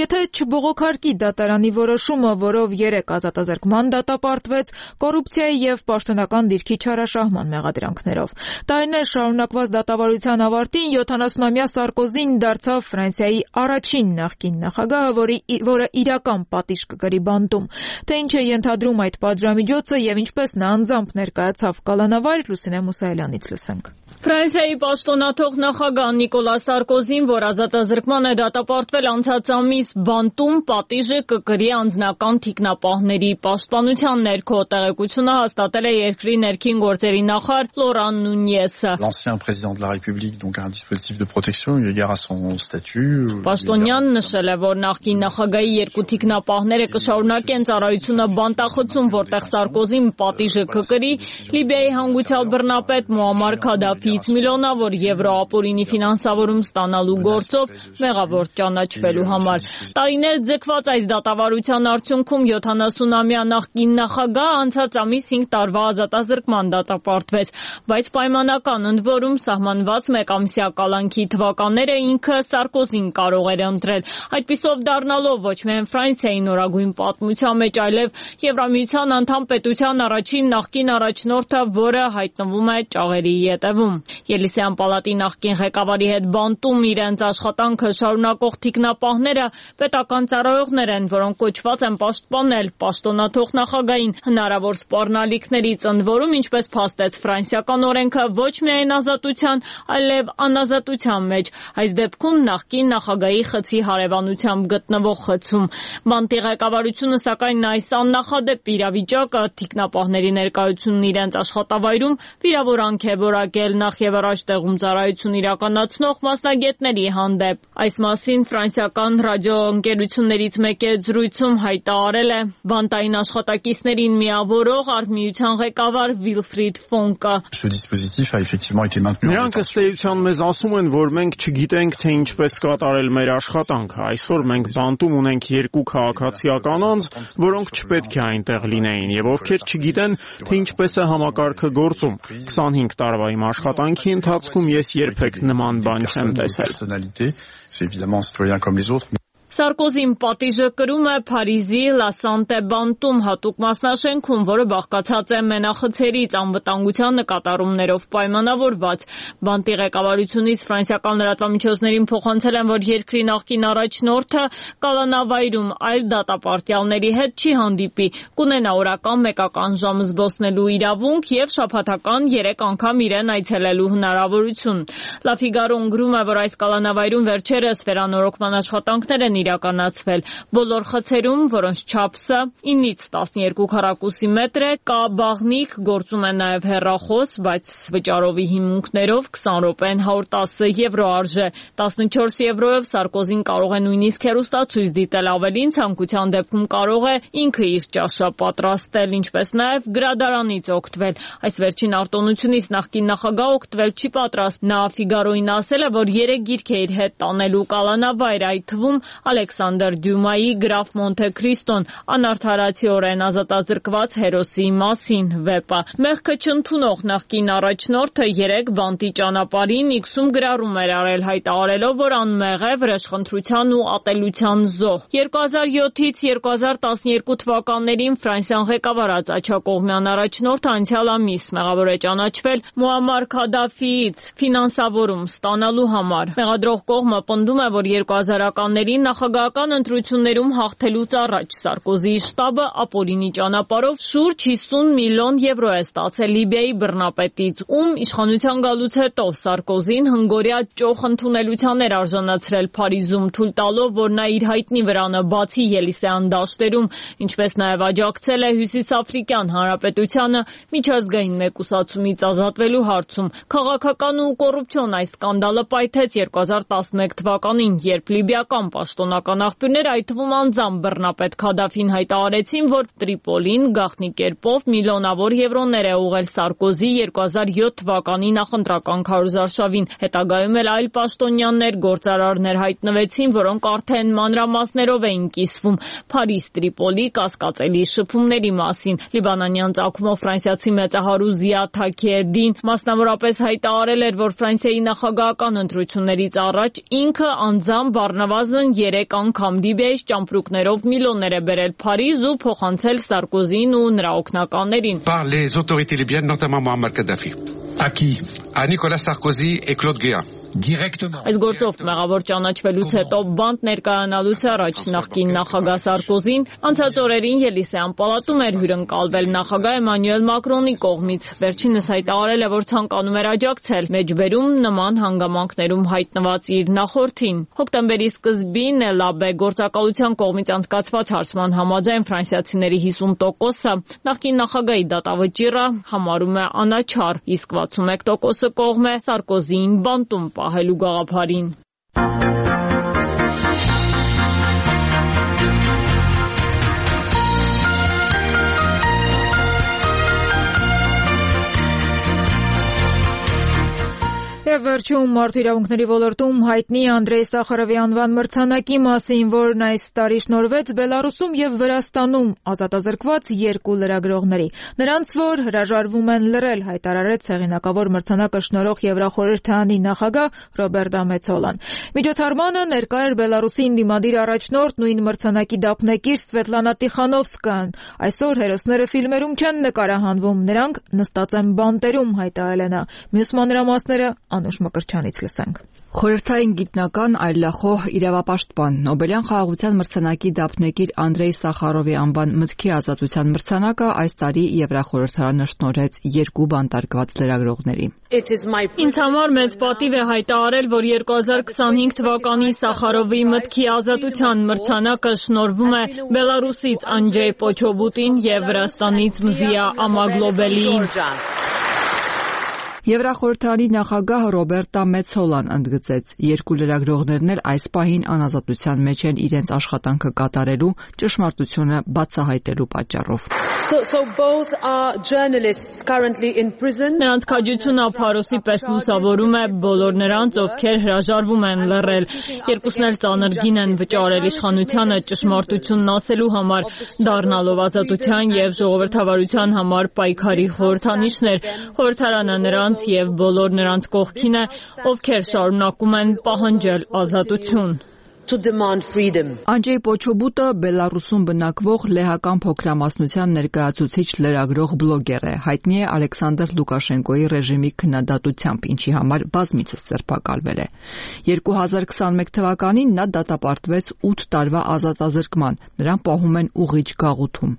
S1: եթե չբողոքարկի դատարանի որոշումը, որով երեք ազատազրկման դատապարտվեց կոռուպցիայի եւ պաշտոնական դիրքի չարաշահման մեղադրանքներով։ Տարիներ շարունակված դատավարության ավարտին յոթանասունամյա Սարկոզին դարձավ Ֆրանսիայի առաջին նախկին նախագահը, որի, որը իրական պատիժ կգրի բանտում։ Թե ինչ է ենթադրում այդ պատժամիջոցը եւ ինչպես նա անձամբ ներկայացավ կալանավար, Լուսինե Մուսայելյանից լսենք։
S11: Ֆրանսիայի պաշտոնաթող նախագահ Նիկոլա Սարկոզին, որ ազատազրկման է դատապարտվել անցած ամիս բանտում, պատիժը կկրի անձնական թիկնապահների պաշտպանության ներքո, տեղեկությունը հաստատել է երկրի ներքին գործերի նախարար Լորան Նունյեսը։
S12: L'ancien président de la République donc a un dispositif de protection eu égard à son statut.
S11: Պաշտոնյան նշել է, որ նախկին նախագահի երկու թիկնապահները կշարունակեն ծառայությունը բանտախցում, որտեղ Սարկոզին պատիժը կկրի Լիբիայի հանգուցյալ բռնապետ Մուամար Քադաֆիից միլիոնավոր եվրո ապօրինի ֆինանսավորում ստանալու գործով մեղավոր ճանաչվելու համար։ Տարիներ ձգված այս դատավարության արդյունքում յոթանասունամյա նախկին նախագահ անցած ամիս հինգ տարվա ազատազրկման դատապարտվեց, բայց պայմանական ընդ որում սահմանված մեկամսյա կալանքի թվականները ինքը Սարկոզին կարող էր ընտրել, այդպիսով դառնալով ոչ միայն Ֆրանսիայի նորագույն պատմության մեջ, այլև Եվրամիության անդամ պետության առաջին նախկին առաջնորդը, որը հայտնվում է ճաղերի ետևում։ Ելիսեյան պալատի նախկին ղեկավարի հետ բանտում իրենց աշխատանքը շարունակող թիկնապահները պետական ծառայողներ են, որոնք կոչված են պաշտպանել պաշտոնաթող նախագահին հնարավոր սպառնալիքներից, ընդ որում, ինչպես փաստեց ֆրանսիական օրենքը, ոչ միայն ազատության, այլև անազատության մեջ, այս դեպքում նախկին նախագահի խցի հարևանությամբ գտնվող խցում։ Բանտի ղեկավարությունը սակայն այս աննախադեպ իրավիճակը թիկնապահների ներկայությունն իրենց աշխատավայրում վիրավորանք է որակել նախ եւ առաջ տեղում ծառայություն իրականացնող մասնագետների հանդեպ։ Այս մասին ֆրանսիական ռադիոընկերություններից մեկի զրույցում հայտարարել է բանտային աշխատակիցներին միավորող արհմիության ղեկավար Վիլֆրիդ Ֆոնկը։
S14: Նրանք ըստ էության մեզ ասում են, որ մենք չգիտենք, թե ինչպես կատարել մեր աշխատանքը։ Այսօր մենք բանտում ունենք երկու քաղաքացիական անձ, որոնք չպետք է այնտեղ լինեին եւ ովքեր չգիտեն, թե ինչպես է համակարգը գործում։ քսանհինգ տարվա իմ աշխատանքի ընթացքում ես երբեք նման բան չեմ տեսել։
S11: Սարկոզին պատիժը կրում է Փարիզի Լա Սանտե բանտում հատուկ մասնաշենքում, որը բաղկացած է մենախցերից, անվտանգության նկատառումներով պայմանավորված։ Բանտի ղեկավարությունից ֆրանսիական լրատվամիջոցներին փոխանցել են, որ երկրի նախկին առաջնորդը կալանավայրում այլ դատապարտյալների հետ չի հանդիպի, կունենա օրական մեկական ժամ զբոսնելու իրավունք եւ շաբաթական երեք անգամ իրեն այցելելու հնարավորություն։ Լա Ֆիգարոն գրում է, որ այս կալանավայրում վերջերս վերանորոգման աշխատանքներ են իրականացվել։ Բոլոր խցերում, որոնց չափսը ինից տասներկու քառակուսի մետր է, կա բաղնիք, գործում է նաև հեռախոս, բայց վճարովի հիմունքներով քսան րոպեն հարյուր տասը եվրո արժե։ տասնչորս եվրոյով Սարկոզին կարող է նույնիսկ հեռուստացույց դիտել, ավելին ցանկության դեպքում կարող է ինքը իր ճաշը պատրաստել, ինչպես նաև գրադարանից օգտվել։ Այս վերջին արտոնությունից նախկին նախագահ օգտվել չի պատրաստ։ Նա Ֆիգարոին ասել է, որ երեք գիրք է իր հետ տանելու կալանավայր, այդ թվում Ալեքսանդր Դյումայի Գրաֆ Մոնթե Քրիստոն, անարդարացիորեն ազատազրկված հերոսի մասին վեպը։ Մեղքը չընդունող նախկին առաջնորդը երեք բանտի ճանապարհին իքսուն գրառում էր արել, հայտարարելով, որ անմեղ է վրեժխնդրության ու ատելության զոհ։ երկու հազար յոթից երկու հազար տասներկու թվականներին Ֆրանսիան ղեկավարած աջակողմյան առաջնորդը անցյալ ամիս մեղավոր է ճանաչվել Մուամար Քադաֆիից ֆինանսավորում ստանալու համար։ Մեղադրող կողմը պնդում է, որ երկու հազարականներին նախագահական ընտրություններում հաղթելուց առաջ Սարկոզիի շտաբը ապօրինի ճանապարհով շուրջ հիսուն միլիոն եվրո է ստացել Լիբիայի բռնապետից, ում իշխանության գալուց հետո Սարկոզին հնգօրյա ճոխ ընդունելության էր արժանացրել Փարիզում, թույլ տալով, որ նա իր հայտնի վրանը բացի Ելիսեյան դաշտերում, ինչպես նաև աջակցել է Հյուսիսաֆրիկյան Հանրապետությանը միջազգային մեկուսացումից ազատվելու հարցում։ Քաղաքական ու կոռուպցիոն այս սկանդալը պայթեց երկու հազար տասնմեկ թվականին, երբ լիբիական պաշտոն պաշտոնական աղբյուրներ, այդ թվում անձամբ բռնապետ Քադաֆին հայտարարեցին, որ Տրիպոլին գաղտնի կերպով միլիոնավոր եվրոներ է ուղղել Սարկոզի երկու հազար յոթ թվականի նախընտրական քարոզարշավին։ Հետագայում էլ այլ պաշտոնյաներ, գործարարներ հայտնվեցին, որոնք արդեն մանրամասներով էին կիսվում Փարիզ-Տրիպոլի կասկածելի շփումների մասին։ Լիբանանյան ծագումով ֆրանսիացի մեծահարու Զիա Թաքիեդին մասնավորապես հայտարարել էր, որ Ֆրանսիայի նախագահական ընտրություններից առաջ ինքը անձամբ առնվազն երեք անգամ Լիբիայից ճամպրուկներով միլիոններ է բերել Փարիզ ու փոխանցել Սարկոզին ու նրա օգնականներին։
S3: Par les autorités libyennes, notamment Muammar Kadhafi. À qui? À Nicolas Sarkozy et Claude Guéant.
S11: Այս գործով մեղավոր ճանաչվելուց հետո բանտ ներկայանալուց առաջ նախկին նախագահ Սարկոզին անցած օրերին Ելիսեյան պալատում էր հյուրընկալվել նախագահ Էմանուել Մակրոնի կողմից։ Վերջինս հայտարարել է, որ ցանկանում էր աջակցել մեջբերում նման հանգամանքներում հայտնված իր նախորդին։ Հոկտեմբերի սկզբին Լաբե գործակալության կողմից անցկացված հարցման համաձայն ֆրանսիացիների հիսուն տոկոսը նախկին նախագահի դատավճիռը համարում է անաչառ, իսկ վաթսունմեկ տոկոսը կողմ է Սարկոզիին բանտում պահելու գաղափարին։
S1: Եվ վերջում մարդու իրավունքների ոլորտում հայտնի Անդրեյ Սախարովի անվան մրցանակի մասին, որն այս տարի շնորհվեց Բելարուսում եւ Վրաստանում ազատազրկված երկու լրագրողների։ Նրանց, որ հրաժարվում են լռել, հայտարարեց հեղինակավոր մրցանակը շնորհող Եվրախորհրդանի նախագահ Ռոբերտ Մեցոլան։ Միջոցառմանը ներկա էր Բելարուսի ընդդիմադիր առաջնորդ նույն մրցանակի դափնեկիր Սվետլանա Տիխանովսկան։ Այսօր հերոսները ֆիլմերում չեն նկարահանվում, նրանք նստած են բանտերում, հայտարարել է նա։ Մյուս մանրամասները Անուշ Մկրչյանից լսենք։
S15: Խորհրդային գիտնական, այլախոհ, իրավապաշտպան, Նոբելյան խաղաղության մրցանակի դափնեկիր Անդրեյ Սախարովի անվան մտքի ազատության մրցանակը այս տարի Եվրախորհրդարանը շնորհեց երկու բանտարկված լրագրողների։
S11: Ինձ համար մեծ պատիվ է հայտարարել, որ երկու հազար քսանհինգ թվականի Սախարովի մտքի ազատության մրցանակը շնորհվում է Բելարուսից Անջեյ Պոչոբուտին եւ Վրաստանից Մզիա Ամագլոբելիին։
S15: Եվրախորհրդարանի նախագահ Ռոբերտա Մեցոլան ընդգծեց, երկու լրագրողներն էլ այս պահին անազատության մեջ են իրենց աշխատանքը կատարելու, ճշմարտությունը բացահայտելու պատճառով։
S11: Նրանց քաջությունը Փարոսի պես լուսավորում է բոլոր նրանց, ովքեր հրաժարվում են լռել։ Երկուսն էլ ծանր գին են վճարել իշխանությանը ճշմարտությունն ասելու համար, դառնալով ազատության եւ ժողովրդավարության համար պայքարի խորհրդանիշներ։ Խորհրդարանը նրանց եւ բոլոր նրանց կողքին է, ովքեր շարունակում են պահանջել ազատություն։
S15: Անջեյ Պոչոբուտը Բելարուսում բնակվող լեհական փոքրամասնության ներկայացուցիչ լրագրող բլոգեր է, հայտնի է Ալեքսանդր Լուկաշենկոյի ռեժիմի քննադատությամբ, ինչի համար բազմիցս ձերբակալվել է։ երկու հազար քսանմեկ թվականին նա դատապարտվեց ութ տարվա ազատազրկման, նրան պահում են ուղիչ գաղութում։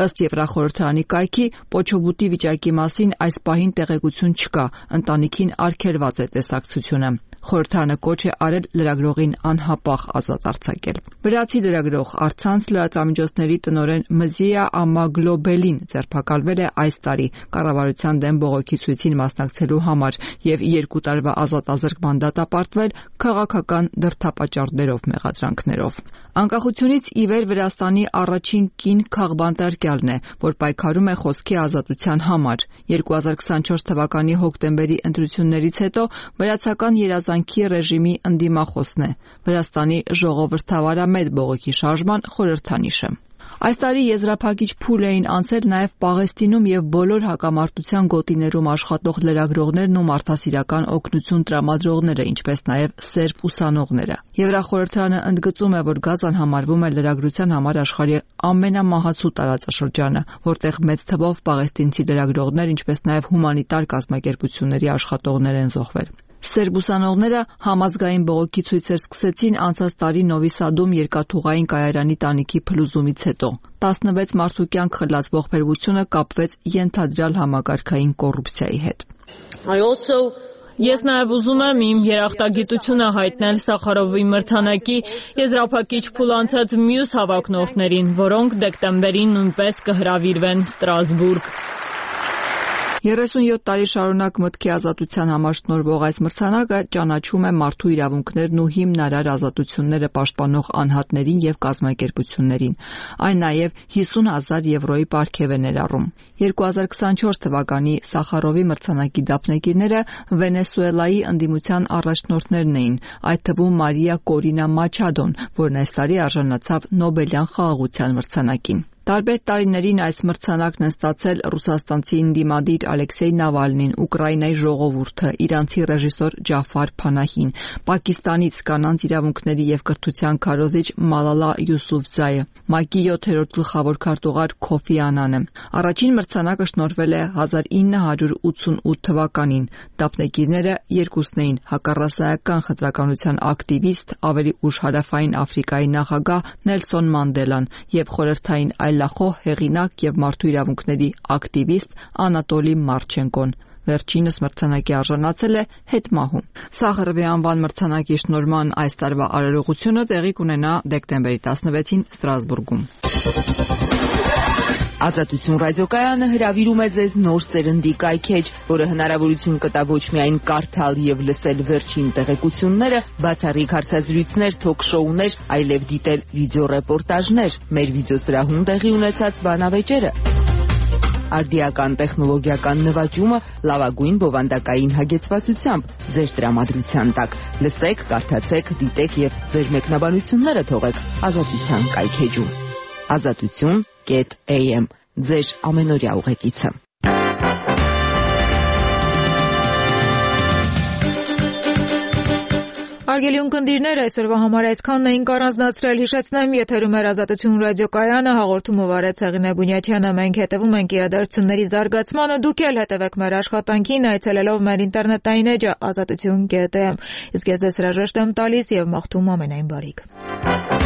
S15: Ըստ Եվրախորհրդարանի կայքի, Պոչոբուտի վիճակի մասին այս պահին տեղեկություն չկա, ընտանիքին արգելված է տեսակցությունը։ Խորհրդարանը կոչ է արել լրագրողին անհապաղ ազատ արձակել։ Վրացի լրագրող առցանց լրատվամիջոցների տնօրեն Մզիա Ամագլոբելին ձերբակալվել է այս տարի կառավարության դեմ բողոքի ցույցին մասնակցելու համար եւ երկու տարվա ազատազրկման դատապարտվել քաղաքական դրդապատճառներով մեղադրանքներով։ Անկախությունից ի վեր Վրաստանի առաջին կին քաղբանտարկյալն է, որ պայքարում է խոսքի ազատության համար։ երկու հազար քսանչորս թվականի հոկտեմբերի ընտրություններից հետո վրացական երազանքի ռեժիմի ընդդիմախոսն է, Վրաստանի ժողովրդավարամետ բողոքի շարժման խորհրդանիշը։ Այս տարի եզրափակիչ փուլ էին անցել նաև Պաղեստինում եւ բոլոր հակամարտության գոտիներում աշխատող լրագրողներն ու մարդասիրական օգնություն տրամադրողները, ինչպես նաև սերբ ուսանողները։ Եվրախորհրդարանը ընդգծում է, որ Գազան համարվում է լրագրության համար աշխարհի ամենամահացու տարածաշրջանը, որտեղ մեծ թվով պաղեստինցի լրագրողներ, ինչպես նաև հումանիտար կազմակերպությունների աշխատողներ են զոհվել։ Սերբ ուսանողները համազգային բողոքի ցույցեր սկսեցին անցած տարի Նովի Սադում երկաթուղային կայարանի տանիքի փլուզումից հետո։ տասնվեց մարդու կյանք խլած ողբերգությունը կապվեց ենթադրյալ համակարգային կոռուպցիայի հետ։
S11: Ես նաև ուզում եմ իմ երախտագիտությունը հայտնել Սախարովի մրցանակի եզրափակիչ փուլ անցած մյուս հավակնորդներին, որոնք դեկտեմբերին նույնպես կհրավիրվեն Ստրասբուրգ։
S15: երեսունյոթ տարի շարունակ մտքի ազատության համար շնորհվող այս մրցանակը ճանաչում է մարդու իրավունքներն ու հիմնարար ազատությունները պաշտպանող անհատներին եւ կազմակերպություններին։ Այն նաեւ հիսուն հազար եվրոյի պարգև է ներառում։ երկու հազար քսանչորս թվականի Սախարովի մրցանակի դափնեկիրները Վենեսուելայի ընդդիմության առաջնորդներն էին, այդ թվում Մարիա Կորինա Մաչադոն, որն այս տարի արժանացավ Նոբելյան խաղաղության մրցանակին։ Տարբեր տարիներին այս մրցանակն են ստացել ռուսաստանցի ընդդիմադիր Ալեքսեյ Նավալնին, Ուկրաինայի ժողովուրդը, իրանցի ռեժիսոր Ջաֆար Փանահին, Պակիստանից կանանց իրավունքների եւ կրթության քարոզիչ Մալալա Յուսուֆզայը, ՄԱԿ-ի յոթերորդ գլխավոր քարտուղար Քոֆի Անանը։ Առաջին մրցանակը շնորհվել է հազար ինը հարյուր ութսունութ թվականին։ Դափնեկիրները երկուսն էին՝ հակառասայական խտրականության ակտիվիստ, ավելի ուշ Հարավային Աֆրիկայի նախագահ Նելսոն Մանդելան եւ խորհրդային այլախոհ հեղինակ եւ մարդու իրավունքների ակտիվիստ Անատոլի Մարչենկոն։ Վերջինս մրցանակի արժանացել է հետմահու։ Սախարովի անվան մրցանակի շնորհման այս տարվա արարողությունը տեղի կունենա դեկտեմբերի տասնվեցին Ստրասբուրգում։
S13: Ազատություն ռադիոկայանը հրավիրում է ձեզ նոր սերնդի կայքեջ, որը հնարավորություն կտա ոչ միայն կարդալ եւ լսել վերջին տեղեկությունները, բացառիկ հարցազրույցներ, թոք-շոուներ, այլև դիտել վիդեոռեպորտաժներ, մեր վիդեոսրահում տեղի ունեցած բանավեճերը, արդիական տեխնոլոգիական նվաճումը լավագույն բովանդակային հագեցվածությամբ ձեր տրամադրության տակ։ Լսեք, կարդացեք, դիտեք եւ ձեր մեկնաբանությունները թողեք Ազատության կայքեջում։ Ազատություն կետ էյ էմ ձեր ամենօրյա ուղեկիցը։
S1: Հարգելի ունկնդիրներ, այսօրվա համար այսքանն էինք առանձնացրել, հիշեցնեմ, եթերում էր Ազատություն ռադիոկայանը, հաղորդումը վարեց Հեղինե Բունյաթյանը, մենք հետևում ենք իրադարձությունների զարգացմանը, դուք էլ հետևեք մեր աշխատանքին, այցելելով մեր ինտերնետային էջը ազատություն կետ էյ էմ։ Իսկ ես ձեզ հրաժեշտ եմ տալիս եւ մաղթում ամենայն բարիք։